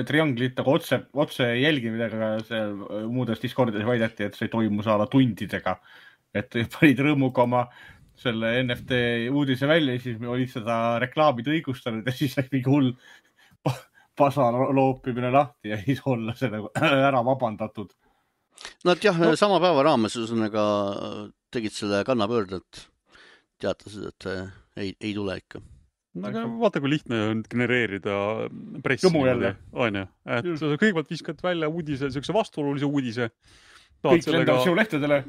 S3: trianglit aga otse, otse ei jälgi, midagi see muudes Discordides väideti, et see toimus ala tundidega. Et panid rõõmuga oma selle N F T uudise välja ja siis olid seda reklaamid õigustanud ja siis läks mingi hull pasa loopimine lahti ja siis olla seda ära vabandatud.
S1: Nad jah, no. sama päeva raames ühesõnaga tegid selle kannapöörde, et teatasid, et ei, ei tule ikka.
S2: No, aga vaata, kui lihtne on genereerida pressi.
S3: Jumu jälle.
S2: On ju, et sa kõigepealt viskad välja uudise, sellise vastuolulise uudise.
S3: Kõik lendavad sinu lehtedele.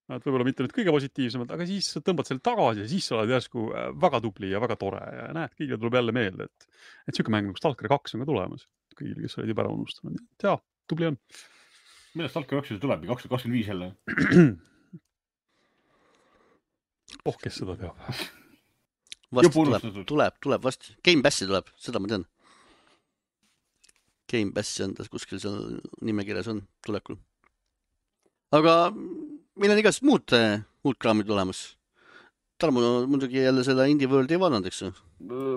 S2: No, et võib-olla mitte nüüd kõige positiivsemalt, aga siis tõmbad selle tagasi ja siis sa oled järsku väga tubli ja väga tore ja näed, kõigile tuleb jälle meelde, et, et siuke mäng nagu Stalker kaks on ka tulemas. Kõigile, kes olid juba ära unustanud. Jaa, tubli on.
S3: Millest Stalker kaks tuleb? kaks tuhat kakskümmend viis jälle?
S2: Oh, kes seda teab?
S1: Vast tuleb, tuleb, tuleb vast. Game Passi tuleb, seda ma tean. Game Passi on ta kuskil seal nimekirjas on tulekul. Aga meil on igast muud, muud kraamid olemas. Tarmo muidugi jälle selle Indie Worldi ei vaadanud, eks?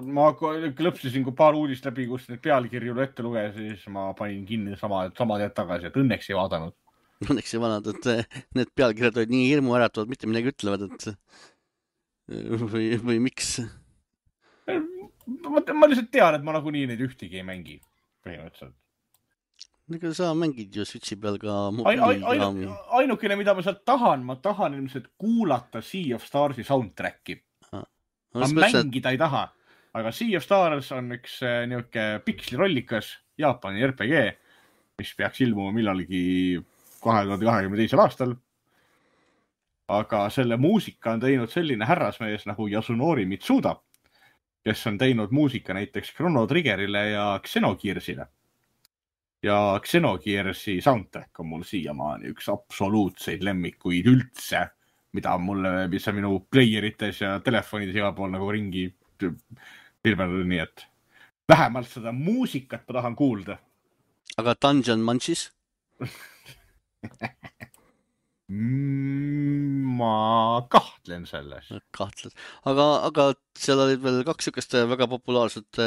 S3: Ma klõpsisin kui paar uudist läbi, kus need pealkirju ette luges, siis ma panin kinni sama, sama teed tagasi, et õnneks ei vaadanud.
S1: Õnneks ei vaadanud, et need pealkirjad olid nii hirmu äratavad, mitte midagi ütlevad, et või, või miks?
S3: Ma, ma lihtsalt tean, et ma nagunii neid ühtegi ei mängi põhimõtteliselt.
S1: Ega sa mängid ju Switchi peal ka
S3: ain, ain, ain, ainukene, mida ma sealt tahan, ma tahan ilmselt kuulata Sea of Starsi soundtracki. Ah. Ma mängida ei taha, aga Sea of Stars on üks niuke pikslirollikas Jaapani R P G, mis peaks ilmuma millalgi kahe tuhande kahekümne teisel aastal. Aga selle muusika on teinud selline härrasmees nagu Yasunori Mitsuda, kes on teinud muusika näiteks Chrono Triggerile ja Xenogearsile. Ja Xenogearsi soundtrack on mul siiamaani üks absoluutseid lemmikuid üldse, mida mulle, mis on minu playerites ja telefonides igal pool nagu ringi pilvendada, nii et vähemalt seda muusikat ma tahan kuulda.
S1: Aga Dungeon Munchies?
S3: Ma kahtlen selles.
S1: Kahtlen. Aga, aga seal olid veel kaks sükest väga populaarset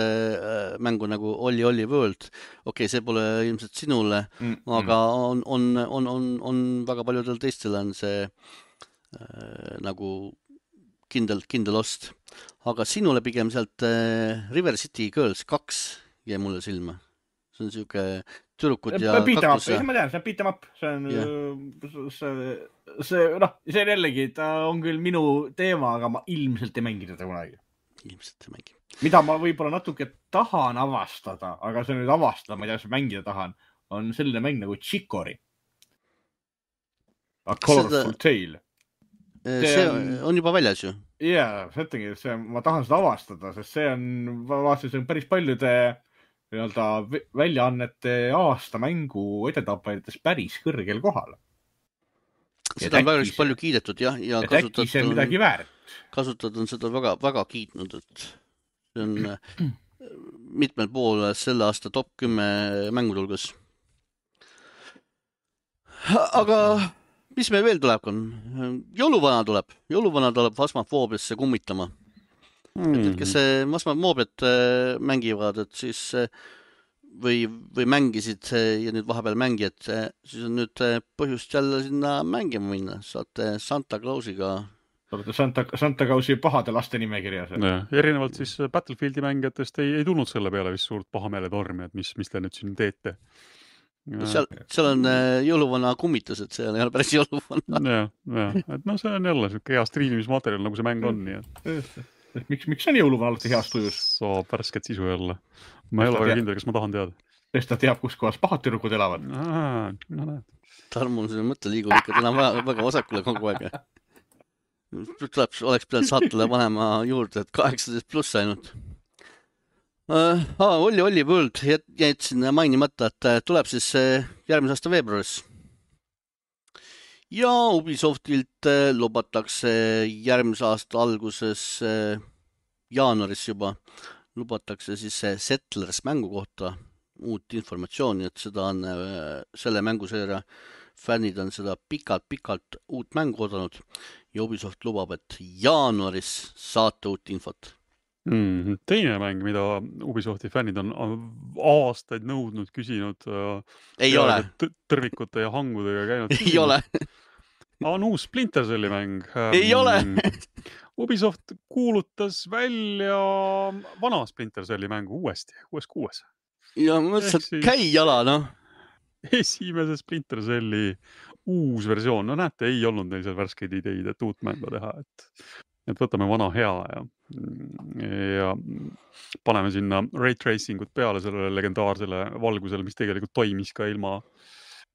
S1: mängu nagu Olli Olli World. Okei, see pole ilmselt sinule, mm, aga on, on, on, on, on väga paljudel teistel on see äh, nagu kindel, kindel ost. Aga sinule pigem sealt äh, River City Girls kaks jäi mulle silma. See on siuke türukud ja
S3: kaktus. Ja... Ma tean, see on beat em up. See on, yeah. see, see, noh, see on jällegi, ta on küll minu teema, aga ma ilmselt ei mängi teda kunagi.
S1: Ilmselt ei mängi.
S3: Mida ma võib-olla natuke tahan avastada, aga see nüüd avastada, ma ei tea, mis mängida tahan, on selline mäng nagu Chicory. A Colorful seda... Tale.
S1: See, see on... on juba väljas ju.
S3: Jaa, see ütlengi, see, ma tahan seda avastada, sest see on, ma vaatasin, see on päris paljude nii-öelda väljaannete aasta mängu edetapailites päris kõrgel kohal.
S1: Seda on väga palju kiidetud, jah. Ja
S3: et äkki see on midagi väärt.
S1: Kasutad on seda väga, väga kiitnud, et see on mitmel pool selle aasta top kümme mängutulgas. Aga mis meil veel tuleb? Jõuluvana tuleb. Jõuluvana tuleb Phasmophobiasse kummitama. Mm-hmm. Et kes Phasmophobiat mängivad, et siis või, või mängisid ja nüüd vahepeal mängijad, siis on nüüd põhjust jälle sinna mängima minna. Saate Santa Clausiga.
S3: Olete Santa, Santa Clausi pahade laste nimekirjas.
S2: Ja, erinevalt siis Battlefieldi mängijatest ei, ei tulnud selle peale vist suurt pahameele tormi, et mis, mis te nüüd siin teete.
S1: Seal, seal on jõuluvana kummitus, et see on jälle päris jõuluvana.
S2: Ja, ja, et no see on jälle hea striimimismaterjal, nagu see mäng on. Nii et...
S3: Miks, miks on jõuluvana alati heast tujus?
S2: Saab värsket sisu jälle. Ma ei ole väga kindel, kas ma tahan teada.
S3: Sest ta teab, kus kohas pahad türukud elavad.
S2: Aa, no näed.
S1: Tarmo on selle mõtte liigub ikka täna väga, väga vasakule kogu aeg. Tuleb, oleks pidanud saatele panema juurde, et kaheksateist pluss ainult. Uh, ah, Olli Olli World jätsin mainimata, et tuleb siis järgmise aasta veebruaris. Ja Ubisoftilt lubatakse järgmise aasta alguses, jaanuaris juba, lubatakse siis Settlers mängu kohta uut informatsiooni, et seda on selle mänguseeria fännid on seda pikalt-pikalt uut mängu odanud ja Ubisoft lubab, et jaanuaris saate uut infot.
S2: Mm, teine mäng, mida Ubisofti fännid on aastaid nõudnud, küsinud.
S1: Ei ole.
S2: Tõrvikute ja hangudega käinud.
S1: Ei ole.
S2: On uus Splinter Celli mäng.
S1: Ei ole.
S2: Ubisoft kuulutas välja vana Splinter Celli mängu uuesti, uues kuues.
S1: Ja mõtlesin, et käi jala, noh.
S2: Esimese Splinter Celli uus versioon. No näete, ei olnud neil seal värskeid ideid, et uut mängu teha. Et, et võtame vana hea ja, ja paneme sinna ray tracingut peale sellele legendaarsele valgusele, mis tegelikult toimis ka ilma,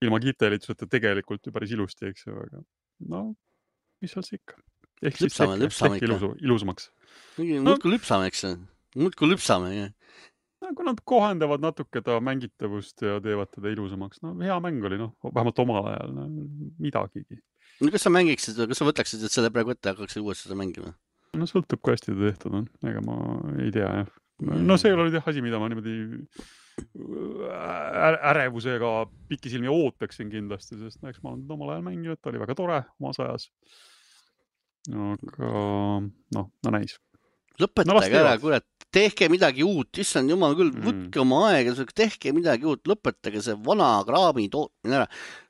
S2: ilma kiirteelituseta tegelikult ju päris ilusti, eks ju. Aga no, mis seal see ikka? Ehk siis
S1: lüpsame,
S2: tehke,
S1: lüpsame
S2: tehke ilusu, ilusumaks.
S1: Muudku lüpsame, eks see? Muudku lüpsame, jah.
S2: Kui nad kohendavad natuke ta mängitavust ja teevad teda ilusamaks. No hea mäng oli, noh, vähemalt omal ajal, no, midagigi.
S1: No kas sa mängiksid, kas sa võtaksid, et selle praegu ette hakkaksid uuesti seda mängima?
S2: No sõltub, kui hästi ta tehtud on. Ega ma ei tea, jah. No see ei ole jah asi, mida ma niimoodi ärevusega pikisilmi ootaksin kindlasti, sest eks ma olen omal ajal mänginud, ta oli väga tore omas ajas. Aga noh, no näis.
S1: Lõpetage no, ära, kurat, tehke midagi uut, issand jumal küll, võtke mm. oma aega, tehke midagi uut, lõpetage see vana kraami tootmine ära.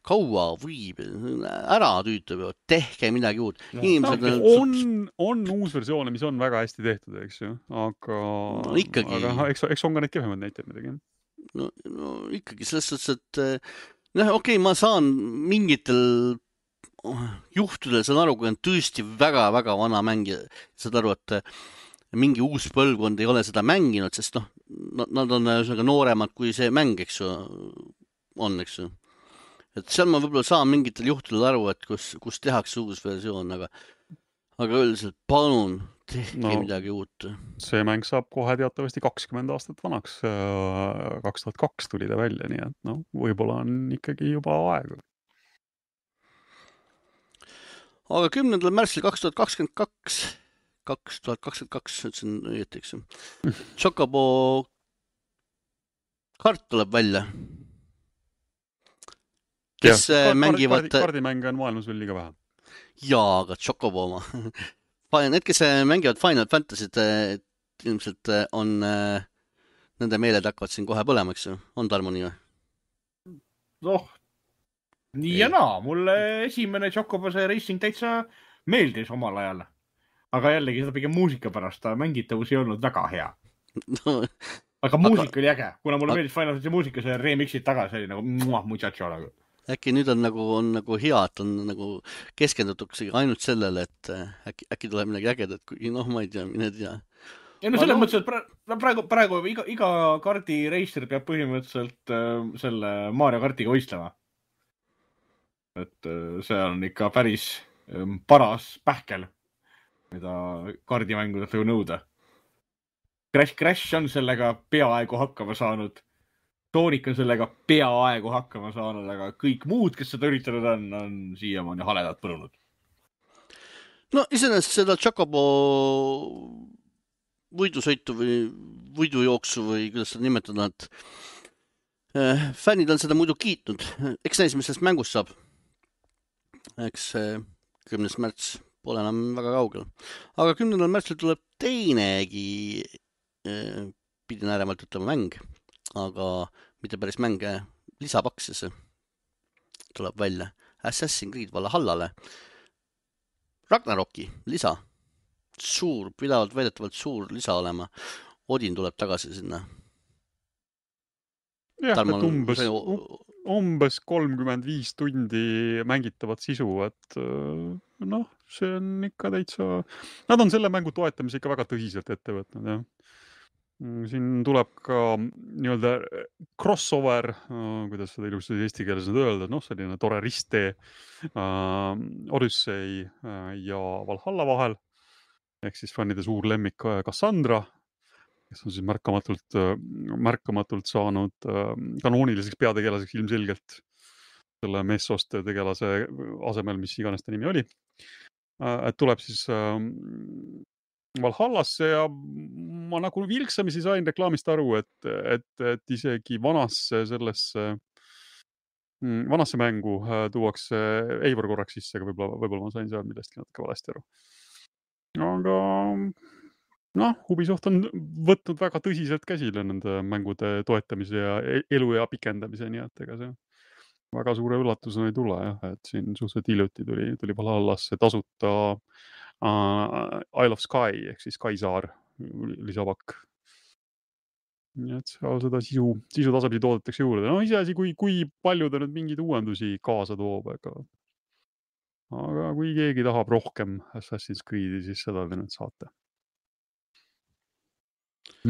S1: Kaua võib, ära tüütab ju, tehke midagi uut.
S2: No, Inimesed on, on uus versioone, mis on väga hästi tehtud, eks ju, aga,
S1: no, ikkagi...
S2: aga eks, eks on ka neid kehvemad näiteid midagi.
S1: No, no ikkagi selles suhtes, et noh, okei, okay, ma saan mingitel juhtudel, saan aru, kui on tõesti väga-väga vana mängija, saad aru, et mingi uus põlvkond ei ole seda mänginud, sest noh, nad on nooremad kui see mäng, eks ju, on, eks ju. Et seal ma võib-olla saan mingitel juhtudel aru, et kus, kus tehakse uus versioon, aga, aga üldiselt palun, tehke no, midagi uut.
S2: See mäng saab kohe teatavasti kakskümmend aastat vanaks. kaks tuhat kaks tuli ta välja, nii et no, võib-olla on ikkagi juba aeg.
S1: Aga kümnendal märtsil kaks tuhat kakskümmend kaks kaks tuhat kakskümmend kaks, ütlesin õieti, eks. Chocobo kart tuleb välja. Kes
S2: ja,
S1: mängivad...
S2: Kardi, kardimänge on maailmas veel liiga vähe.
S1: Jaa, aga Chocobo oma. Need, kes mängivad Final Fantasy't, ilmselt on nende meeled hakkavad siin kohe põlema, eks ju? On Tarmo nii või?
S3: Noh, nii ja naa. Mulle esimene Chocobo see racing täitsa meeldis omal ajal. Aga jällegi seda pigem muusika pärast, ta mängitavus ei olnud väga hea. No, aga muusika aga... oli äge, kuna mulle aga... meeldis Final Fantasy muusika, see remixid tagasi oli nagu muah, muchacho nagu.
S1: Äkki nüüd on nagu, on nagu hea, et on nagu keskendutuksegi ainult sellele, et äkki, äkki tuleb midagi ägedat, kui noh, ma ei tea, mine tea.
S3: Ja no selles no... mõttes, et praegu, praegu iga, iga kardi reister peab põhimõtteliselt äh, selle Mario kartiga võistlema. Et äh, see on ikka päris äh, paras pähkel, mida kardimängudelt võib nõuda. Crash Crash on sellega peaaegu hakkama saanud. Sonic on sellega peaaegu hakkama saanud, aga kõik muud, kes seda üritanud on, on siiamaani haledat põrunud.
S1: No iseenesest seda Chocobo võidusõitu või võidujooksu või kuidas seda nimetada, et äh, fännid on seda muidu kiitnud. Eks näis, mis sellest mängust saab. Eks äh, kümnes märts pole enam väga kaugel. Aga kümnendal märtsil tuleb teinegi, äh, pidin ääremalt ütlema mäng, aga mitte päris mänge, lisapaksis tuleb välja Assassin's Creed Valhallale. Ragnaroki lisa. Suur, pidavalt väidetavalt suur lisa olema. Odin tuleb tagasi sinna.
S2: Jah, Tarmal... et umbes, umbes kolmkümmend viis tundi mängitavat sisu, et noh, see on ikka täitsa... Nad on selle mängu toetamise ikka väga tõsiselt ette võtnud, jah. Siin tuleb ka nii-öelda crossover, kuidas seda ilusti eesti keeles nüüd öelda, noh, selline tore risttee uh, Odyssey uh, ja Valhalla vahel, ehk siis fännide suur lemmik Cassandra, kes on siis märkamatult, uh, märkamatult saanud uh, kanooniliseks peategelaseks ilmselgelt selle Messost tegelase asemel, mis iganes ta nimi oli. Uh, et tuleb siis uh, Valhallasse ja ma nagu vilksamisi sain reklaamist aru, et, et, et isegi vanasse sellesse vanasse mängu tuuakse Eivor korraks sisse, aga võib-olla, võib-olla ma sain seal millestki natuke valesti aru. Aga noh, Ubisoft on võtnud väga tõsiselt käsile nende mängude toetamise ja eluea pikendamise, nii et ega see väga suure üllatusena ei tule, jah, et siin suhteliselt hiljuti tuli, tuli Valhallasse tasuta uh, Isle of Sky ehk siis Skysaar lisapakk. Nii et seal seda sisu, sisu tasapisi toodetakse juurde. No ise asi, kui, kui palju ta nüüd mingeid uuendusi kaasa toob, aga, aga kui keegi tahab rohkem Assassin's Creed'i, siis seda te nüüd saate.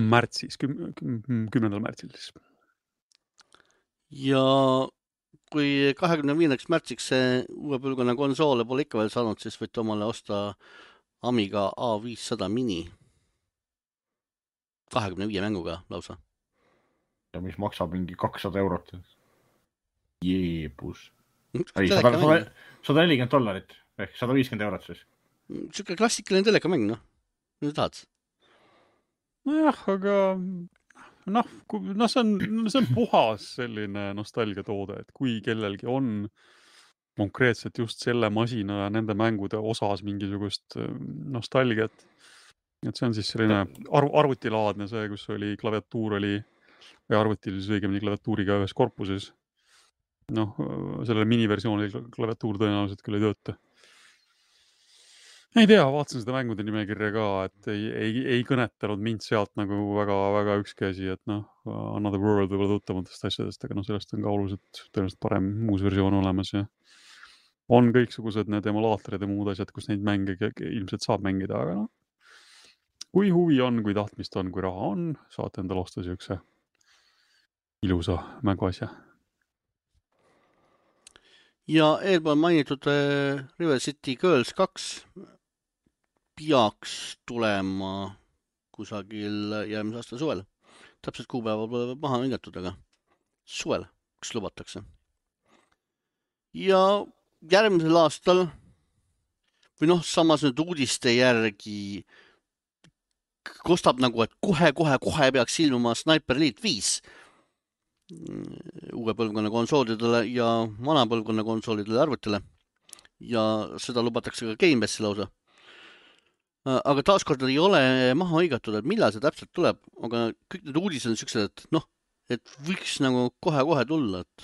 S2: Märtsis, küm, küm, kümnendal märtsil siis.
S1: Ja kui kahekümne viiendaks märtsiks see uue põlvkonna konsoole pole ikka veel saanud, siis võite omale osta Amiga A viissada mini. kahekümne viie mänguga lausa.
S3: Ja mis maksab mingi kakssada eurot. Jeebus. Ei, sada nelikümmend dollarit. Ehk sada viiskümmend eurot siis.
S1: Siuke klassikaline telekamäng, noh. Mida tahad?
S2: Nojah, aga noh, no see on, see on puhas selline nostalgiatoode, et kui kellelgi on konkreetselt just selle masina ja nende mängude osas mingisugust nostalgiat, et see on siis selline arv, arvutilaadne see, kus oli klaviatuur oli või arvutil siis õigemini klaviatuuriga ühes korpuses. Noh, sellele miniversioonil klaviatuur tõenäoliselt küll ei tööta. Ei tea, vaatasin seda mängude nimekirja ka, et ei, ei, ei kõnetanud mind sealt nagu väga, väga ükski asi, et noh, Another World võib-olla tuttamatest asjadest, aga noh, sellest on ka oluliselt tõenäoliselt parem uus versioon olemas ja on kõiksugused need emulaatorid ja muud asjad, kus neid mänge ilmselt saab mängida, aga noh, kui huvi on, kui tahtmist on, kui raha on, saate endale osta siukse ilusa mänguasja.
S1: Ja eelpool mainitud äh, River City Girls kaks peaks tulema kusagil järgmise aasta suvel. Täpselt kuupäeva pole maha hingatud, aga suvel, kus lubatakse. Ja järgmisel aastal või noh, samas nüüd uudiste järgi kostab nagu, et kohe, kohe, kohe peaks ilmuma Sniper Elite viis uue põlvkonna konsoolidele ja vana põlvkonna konsoolidele arvutile. Ja seda lubatakse ka Game Passi lausa. Aga taaskord ei ole maha hõigatud, et millal see täpselt tuleb, aga kõik need uudised on siuksed, et noh, et võiks nagu kohe-kohe tulla, et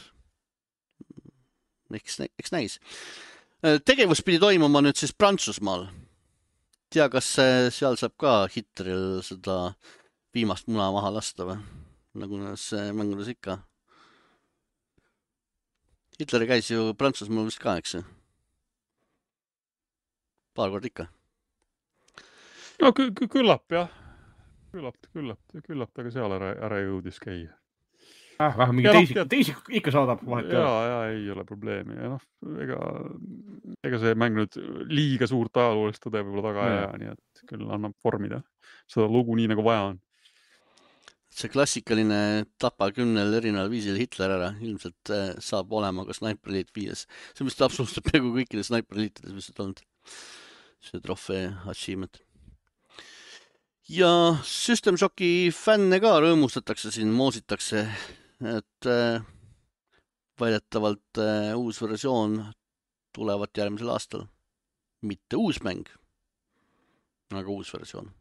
S1: eks, eks näis. Tegevus pidi toimuma nüüd siis Prantsusmaal. Tea, kas seal saab ka Hitleril seda viimast muna maha lasta või? Nagu näes mängudes ikka. Hitler käis ju Prantsusmaal vist ka, eks? Paar kord ikka.
S2: No kü- kü- küllap, jah. Küllap, küllap, küllap taga seal ära, ära jõudis käia.
S3: Ah, vähem mingi teisi, no, teisi ikka saadab vahet.
S2: Jaa, jaa, ei ole probleemi. Ja noh, ega, ega see mäng nüüd liiga suurt ajaloolist tõde võib-olla taga ei jää, nii et küll annab vormida seda lugu nii nagu vaja on.
S1: See klassikaline tapa kümnel erineval viisil Hitler ära ilmselt saab olema ka Sniper Elite viies. See on vist absoluutselt peaaegu kõikide Sniper Elitedes vist olnud see trofee achievement. Ja System Shocki fänne ka rõõmustatakse siin, moositakse, et äh, väidetavalt äh, uus versioon tulevat järgmisel aastal. Mitte uus mäng, aga uus versioon.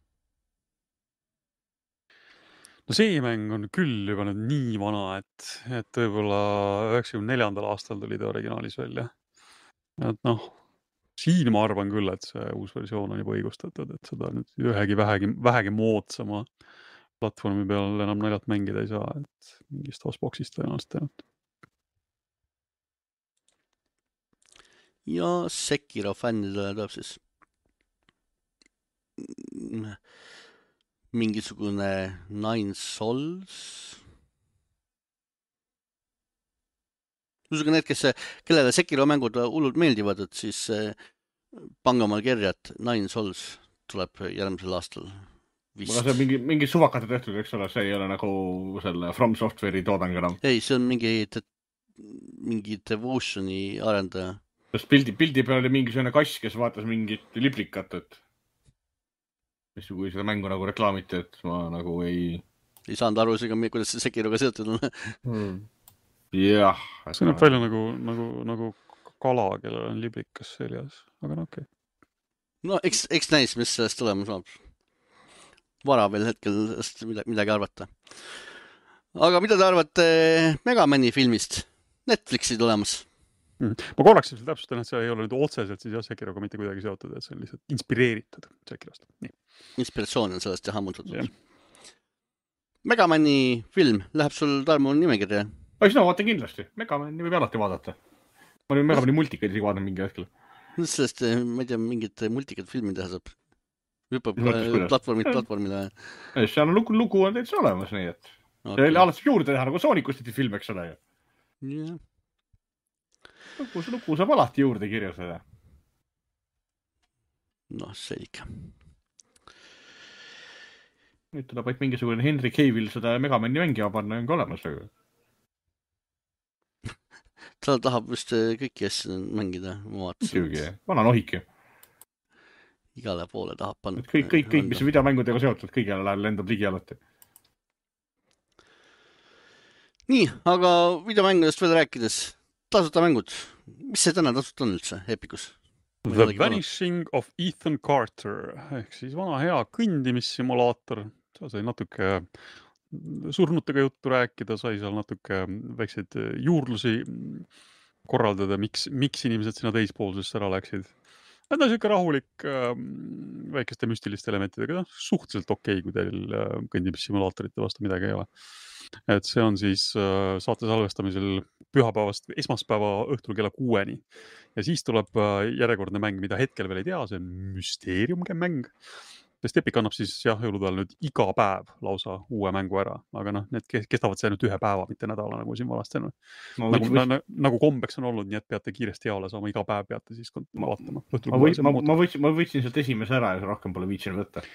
S2: No see mäng on küll juba nüüd nii vana, et, et võib-olla üheksakümne neljandal aastal tuli ta originaalis välja. Et noh, siin ma arvan küll, et see uus versioon on juba õigustatud, et seda nüüd ühegi vähegi, vähegi moodsama platvormi peal enam naljalt mängida ei saa, et mingist Xboxist tõenäoliselt ainult.
S1: Ja Sekiro fännidele tuleb siis mingisugune Nine Souls. Usega need, kes, kellele Sekiro mängud hullult meeldivad, et siis pange omal kirja, et Nine Souls tuleb järgmisel aastal. Vist.
S3: Aga see on mingi, mingi suvakate tehtud, eks ole, see ei ole nagu selle From Software'i toodang enam.
S1: Ei, see on mingi, mingi Devutioni arendaja.
S3: Sest pildi, pildi peal oli mingisugune kass, kes vaatas mingit liplikat, et mis kui seda mängu nagu reklaamiti, et ma nagu ei...
S1: Ei saanud aru isegi, kuidas see Sekiroga seotud on.
S3: Hmm. Jah.
S2: See näeb välja nagu, nagu, nagu kala, kellel on liblikas seljas, aga no okei. Okay.
S1: No eks, eks näis, mis sellest tulema saab. Vara veel hetkel midagi arvata. Aga mida te arvate Megamani filmist? Netflixi tulemas?
S2: Mm. Ma korraks seal täpsustan, et see ei ole nüüd otseselt siis jah Sekiroga mitte kuidagi seotud, et see on lihtsalt inspireeritud Sekirost. Nii.
S1: Inspiratsioon on sellest jah hammutatud. Yeah. Megamani film läheb sul Tarmo nimekirja?
S3: Ai, seda vaatan kindlasti. Megamani võib alati vaadata. Ma olin Megamani multikaid isegi vaadanud mingi hetkel.
S1: Sellest, ma ei tea, mingid multikad filmi teha saab. Hüppab platvormid platvormile.
S3: Seal on lugu, lugu on täitsa olemas, nii et okay. See alati juurde teha, nagu Soonikust tehti film, eks ole.
S1: Yeah.
S3: Lugu, lugu saab alati juurde kirjutada.
S1: Noh, see ikka.
S3: Nüüd tuleb vaid mingisugune Henry Cavill seda Megamani mängima panna on ka olemas.
S1: Ta tahab vist kõiki asju mängida.
S3: Muidugi, vana nohik ju.
S1: Igale poole tahab panna.
S3: Kõik, kõik, kõik, mis videomängudega seotud, kõigele lendab ligi alati.
S1: Nii, aga videomängudest veel rääkides. Tasuta mängud. Mis see täna tasuta on üldse Epicus?
S2: The Vanishing of Ethan Carter. Ehk siis vana hea kõndimissimulaator. Sa sai natuke surnutega juttu rääkida, sai seal natuke väikseid juurdlusi korraldada, miks, miks inimesed sinna teispoolsesse ära läksid. Need on siuke rahulik väikeste müstiliste elementidega, suhteliselt okei, kui teil kõndimissimulaatorite vastu midagi ei ole. Et see on siis saate salvestamisel pühapäevast esmaspäeva õhtul kella kuueni. Ja siis tuleb järjekordne mäng, mida hetkel veel ei tea, see on müsteeriumge mäng. Sest Epic annab siis jah, jõulutajal nüüd iga päev lausa uue mängu ära, aga noh, need kestavad see ainult ühe päeva, mitte nädala, nagu siin valast on.
S3: No,
S2: nagu,
S3: võiks...
S2: na, nagu kombeks on olnud, nii et peate kiiresti jaole saama, iga päev peate siis vaatama.
S3: Ma, või, ma, ma, võtsin, ma võtsin sealt esimese ära ja rohkem pole viitsinud võtta.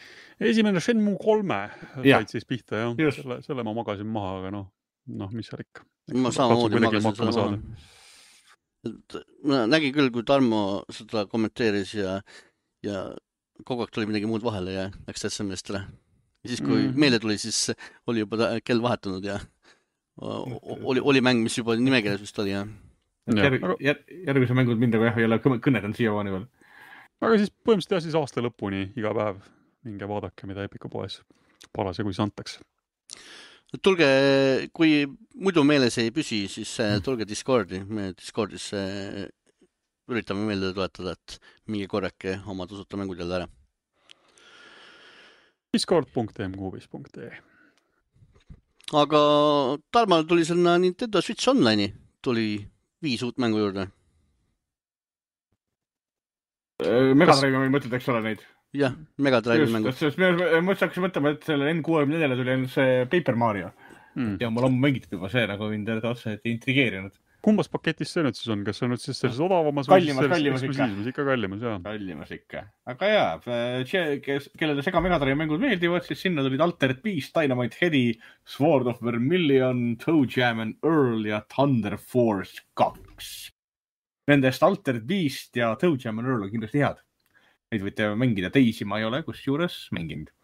S2: Esimene Shenmue kolme
S3: ja.
S2: said siis pihta, jah. Selle, selle ma magasin maha, aga noh, noh mis seal ikka.
S1: Ma samamoodi magasin selle maha. Ma nägin küll, kui Tarmo seda kommenteeris ja, ja kogu aeg tuli midagi muud vahele ja läks täitsa meestele. Ja siis, kui mm. meile tuli, siis oli juba kell vahetunud ja oli, oli mäng, mis juba nimekirjas vist oli. Ja.
S3: Järg, jär, järgmise mängud mind aga jah, ei ole kõnedanud siiamaani veel.
S2: Aga siis põhimõtteliselt jah, siis aasta lõpuni iga päev minge vaadake, mida Epiku poes palas ja kui see antakse.
S1: Tulge, kui muidu meeles ei püsi, siis tulge Discordi. Me Discordis üritame meelde toetada, et mingi korrake oma tasuta mängud jälle ära.
S2: discord punkt m kuubis punkt e
S1: Aga Tarmal tuli sinna Nintendo Switch Online'i. Tuli viis uut mängu juurde.
S3: Megadrive'i mängud mõtled, eks ole neid?
S1: Jah, Megadrive'i mängud.
S3: Me mõtlesin mõtlema, et selle N kuuekümne neljale tuli ainult see Paper Mario. Mm. Ja mul on mängitud juba see, nagu mind otse intrigeerinud.
S2: Kumbas paketis see nüüd siis on? Kas see on nüüd siis selles odavamas
S3: kallimas, või kallimas ikka.
S2: ikka kallimas, jah.
S3: Kallimas ikka. Aga jaa, kellele Sega Megadrive mängud meeldivad, siis sinna tulid Altered Beast, Dynamite Heady, Sword of Vermilion, Toe Jam and Earl ja Thunder Force kaks. Nendest Altered Beast ja Toe Jam and Earl on kindlasti head. Neid võite mängida, teisi ma ei ole, kus juures mänginud.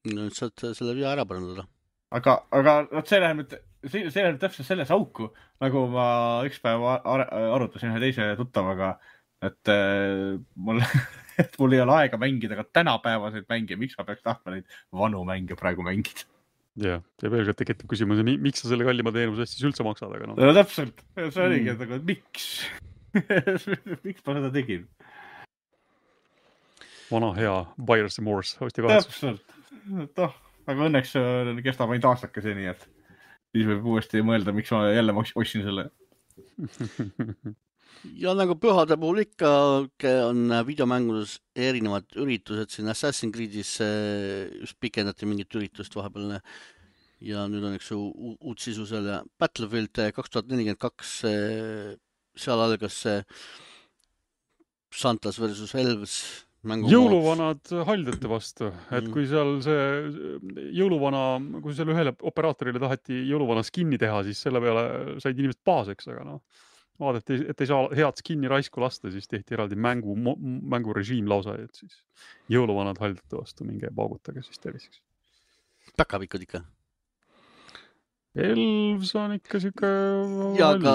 S1: No nüüd saad selle via ära parandada.
S3: Aga, aga see läheb nüüd see, see läheb täpselt selles auku, nagu ma üks päev ar arutasin ühe teise tuttavaga, et, äh, mul, et mul ei ole aega mängida ka tänapäevaseid mänge, miks ma peaks tahtma neid vanu mänge praegu mängida.
S2: Jah, ja veel tekib küsimus, miks sa selle kallima teenuse siis üldse maksad? Aga no.
S3: No, täpselt, see oligi, et aga miks? Miks ma seda tegin?
S2: Vana hea Buyer's Remorse, hosti kahetsus.
S3: Täpselt, toh. Aga õnneks kestab ainult aastake see, nii et siis võib uuesti mõelda, miks ma jälle ostsin selle.
S1: Ja nagu pühade puhul ikka on videomängudes erinevad üritused. Siin Assassin's Creed'is just pikendati mingit üritust vahepeal ja nüüd on üks uut sisu seal ja Battlefield kaks tuhat nelikümmend kaks, seal algas Santas versus Elves.
S2: Jõuluvanad haldjate vastu, et kui seal see jõuluvana, kui seal ühele operaatorile taheti jõuluvana skinni teha, siis selle peale said inimesed paaseks, aga noh, vaadati, et ei saa head skinni raisku lasta, siis tehti eraldi mängu, mängurežiim lausa, et siis jõuluvanad haldate vastu minge paugutage siis terviseks.
S1: Päkapikud ikka?
S2: Elvs on ikka siuke...
S1: Ja, aga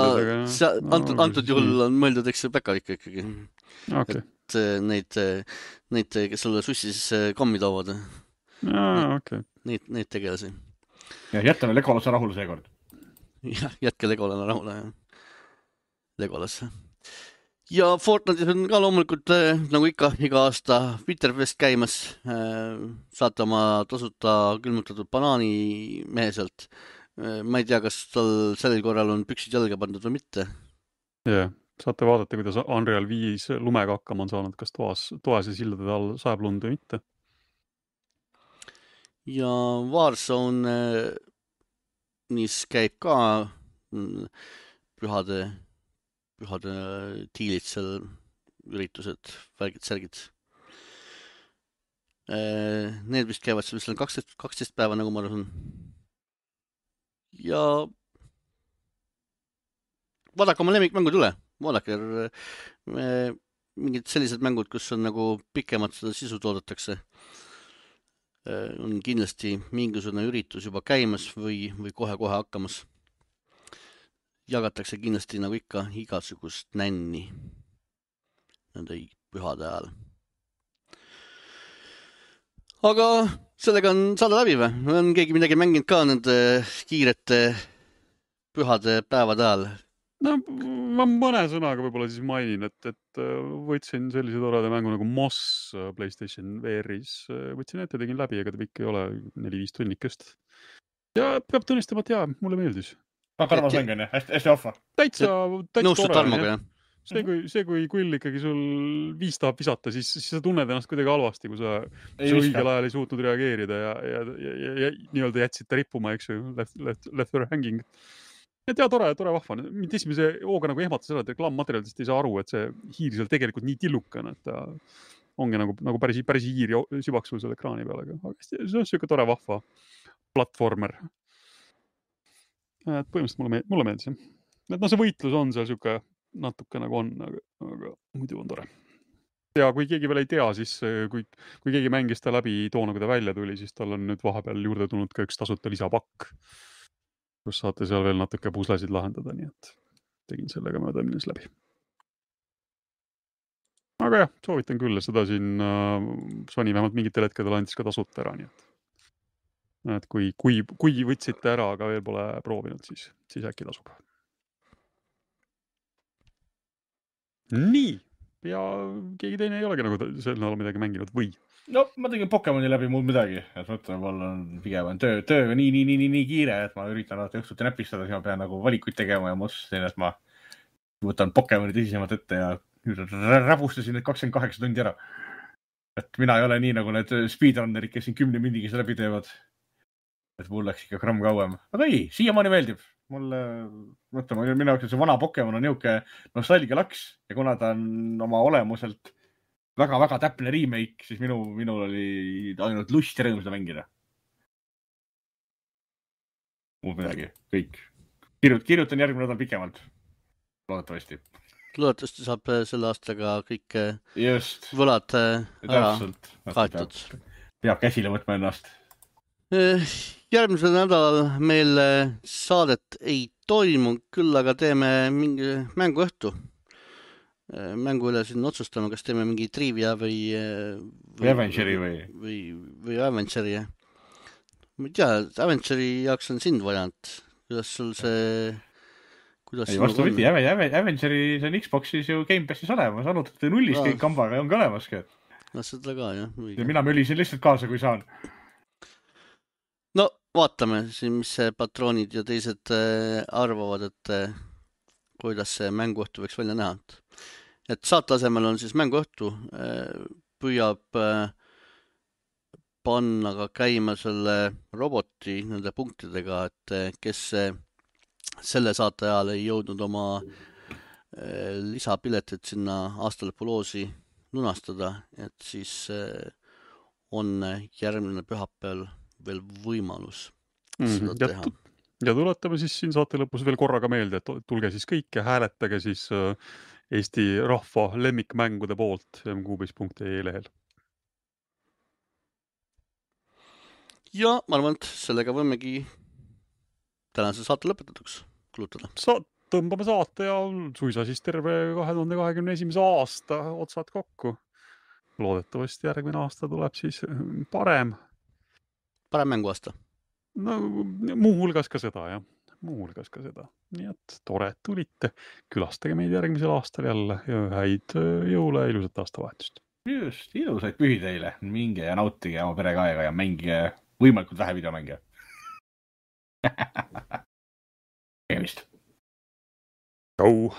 S1: sa, antud, antud juhul on mõeldud, eks see päkapikku ikkagi.
S2: Okay.
S1: Et neid, neid, kes sulle sussis kommi toovad.
S2: Jaa, okei. Okay.
S1: Neid, neid tegelasi.
S3: Ja jätame Legolase rahule seekord.
S1: Jah, jätke Legolane rahule. Legolasse. Ja Fortnite'is on ka loomulikult, nagu ikka, iga aasta Winterfest käimas. Saate oma tasuta külmutatud banaani mehe sealt. Ma ei tea, kas tal sellel korral on püksid jalga pandud või mitte.
S2: Jah, saate vaadata, kuidas Unreal viis lumega hakkama on saanud, kas toas, toas ja sildade all sajab lund või mitte.
S1: Ja Warzone mis käib ka pühade, pühade tiilid seal, üritused, värgid, särgid. Need vist käivad seal kaksteist, kaksteist päeva, nagu ma arvan. Ja vaadake oma lemmikmängud üle, vaadake mingid sellised mängud, kus on nagu pikemalt seda sisu toodetakse. On kindlasti mingisugune üritus juba käimas või, või kohe-kohe hakkamas. Jagatakse kindlasti nagu ikka igasugust nänni nende pühade ajal. Aga sellega on saada läbi või? On keegi midagi mänginud ka nende kiirete pühade päevade ajal?
S2: No, ma mõne sõnaga võib-olla siis mainin, et, et võtsin sellise toreda mängu nagu Moss PlayStation V R-is. Võtsin ette, tegin läbi, ega ta pikk ei ole neli-viis tunnikest. Ja peab tunnistama, et jaa, mulle meeldis.
S3: Aga arvas mäng on, hästi, hästi ohva.
S2: Täitsa, täitsa
S1: Nõustud
S2: tore.
S1: Tarmoga, jah?
S2: See kui, see, kui kull ikkagi sul viis tahab visata, siis, siis sa tunned ennast kuidagi halvasti, kui sa õigel ajal ei suutnud reageerida ja, ja, ja, ja, ja nii-öelda jätsid ta rippuma, eks ju, left, left, left her hanging. Et ja, tore, tore vahva. Mind esimese hooga nagu ehmatas seda, et reklaammateriaalidest ei saa aru, et see hiir seal tegelikult nii tillukana, et ta ongi nagu, nagu päris, päris hiir sübaks sul selle ekraani peale. Aga see on siuke tore vahva platformer. Et põhimõtteliselt mulle, mulle meeldis. Et no see võitlus on seal siuke natuke nagu on, aga, aga muidu on tore. Ja kui keegi veel ei tea, siis kui, kui keegi mängis ta läbi toona, kui ta välja tuli, siis tal on nüüd vahepeal juurde tulnud ka üks tasuta lisapakk, kus saate seal veel natuke puslesid lahendada, nii et tegin sellega mööda minnes läbi. Aga jah, soovitan küll, seda siin äh, Sony vähemalt mingitel hetkedel andis ka tasuta ära, nii et, et kui, kui, kui võtsite ära, aga veel pole proovinud, siis, siis äkki tasub. Nii, ja keegi teine ei olegi nagu sel näol midagi mänginud või?
S3: No, ma tegin Pokemoni läbi muud midagi, et mõtlen, mul on pigem on töö, töö nii, nii, nii, nii, nii kiire, et ma üritan alati õhtuti näpistada, siis ma pean nagu valikuid tegema ja ma otsustasin, et ma võtan Pokemoni tõsisemalt ette ja räbustasin need kakskümmend kaheksa tundi ära. Et mina ei ole nii nagu need speedrunnerid, kes siin kümne mindigi seda läbi teevad. Et mul läks ikka gramm kauem. Aga ei, siiamaani meeldib. Mulle, mõtlema, minu jaoks see vana Pokemon on niuke nostalgia laks ja kuna ta on oma olemuselt väga-väga täpne remake, siis minu, minul oli ainult lust ja rõõm seda mängida. Muud midagi, kõik. Kirjut, kirjutan järgmine nädal pikemalt. Loodetavasti.
S1: Loodetavasti saab selle aastaga kõik
S3: Just.
S1: võlad ära kaetud.
S3: Peab käsile võtma ennast.
S1: Järgmisel nädalal meil saadet ei toimu, küll aga teeme mingi mänguõhtu. Mängu üle siin otsustame, kas teeme mingi trivia või...
S3: Või Avengeri või...
S1: Või, või Avengeri. Ma ei tea, Avengeri jaoks on sind vajanud. Kuidas sul see... Kuidas
S3: ei, vastu võti, Avengeri see on Xboxis ju Game Passis olemas. Anutate nullist kõik kambaga on ka olemaski.
S1: No seda ka, jah.
S3: Ja mina mölisin lihtsalt kaasa, kui saan.
S1: No, vaatame siin, mis patroonid ja teised arvavad, et kuidas see mänguõhtu võiks välja näha. Et saate asemel on siis mänguõhtu, püüab panna ka käima selle roboti nende punktidega, et kes selle saate ajal ei jõudnud oma lisapiletit sinna aastalõpuloosi lunastada, et siis on järgmine pühapäeval veel võimalus mm, seda teha.
S2: ja tuletame siis siin saate lõpus veel korraga meelde, et tulge siis kõik ja hääletage siis Eesti rahva lemmikmängude poolt m kuubis punkt ee lehel.
S1: Ja ma arvan, et sellega võimegi tänase saate lõpetatuks kulutada.
S2: Sa tõmbame saate ja suisa siis terve kahe tuhande kahekümne esimese aasta otsad kokku. Loodetavasti järgmine aasta tuleb siis parem.
S1: Parem mänguaasta.
S2: No muu hulgas ka seda, jah. Muu hulgas ka seda. Nii et tore, et tulite. Külastage meid järgmisel aastal jälle ja häid jõule ja ilusat aastavahetust.
S3: Just, ilusaid pühi teile. Minge ja nautige oma perega aega ja mängige võimalikult vähe videomänge. Tervist.
S2: Tšau.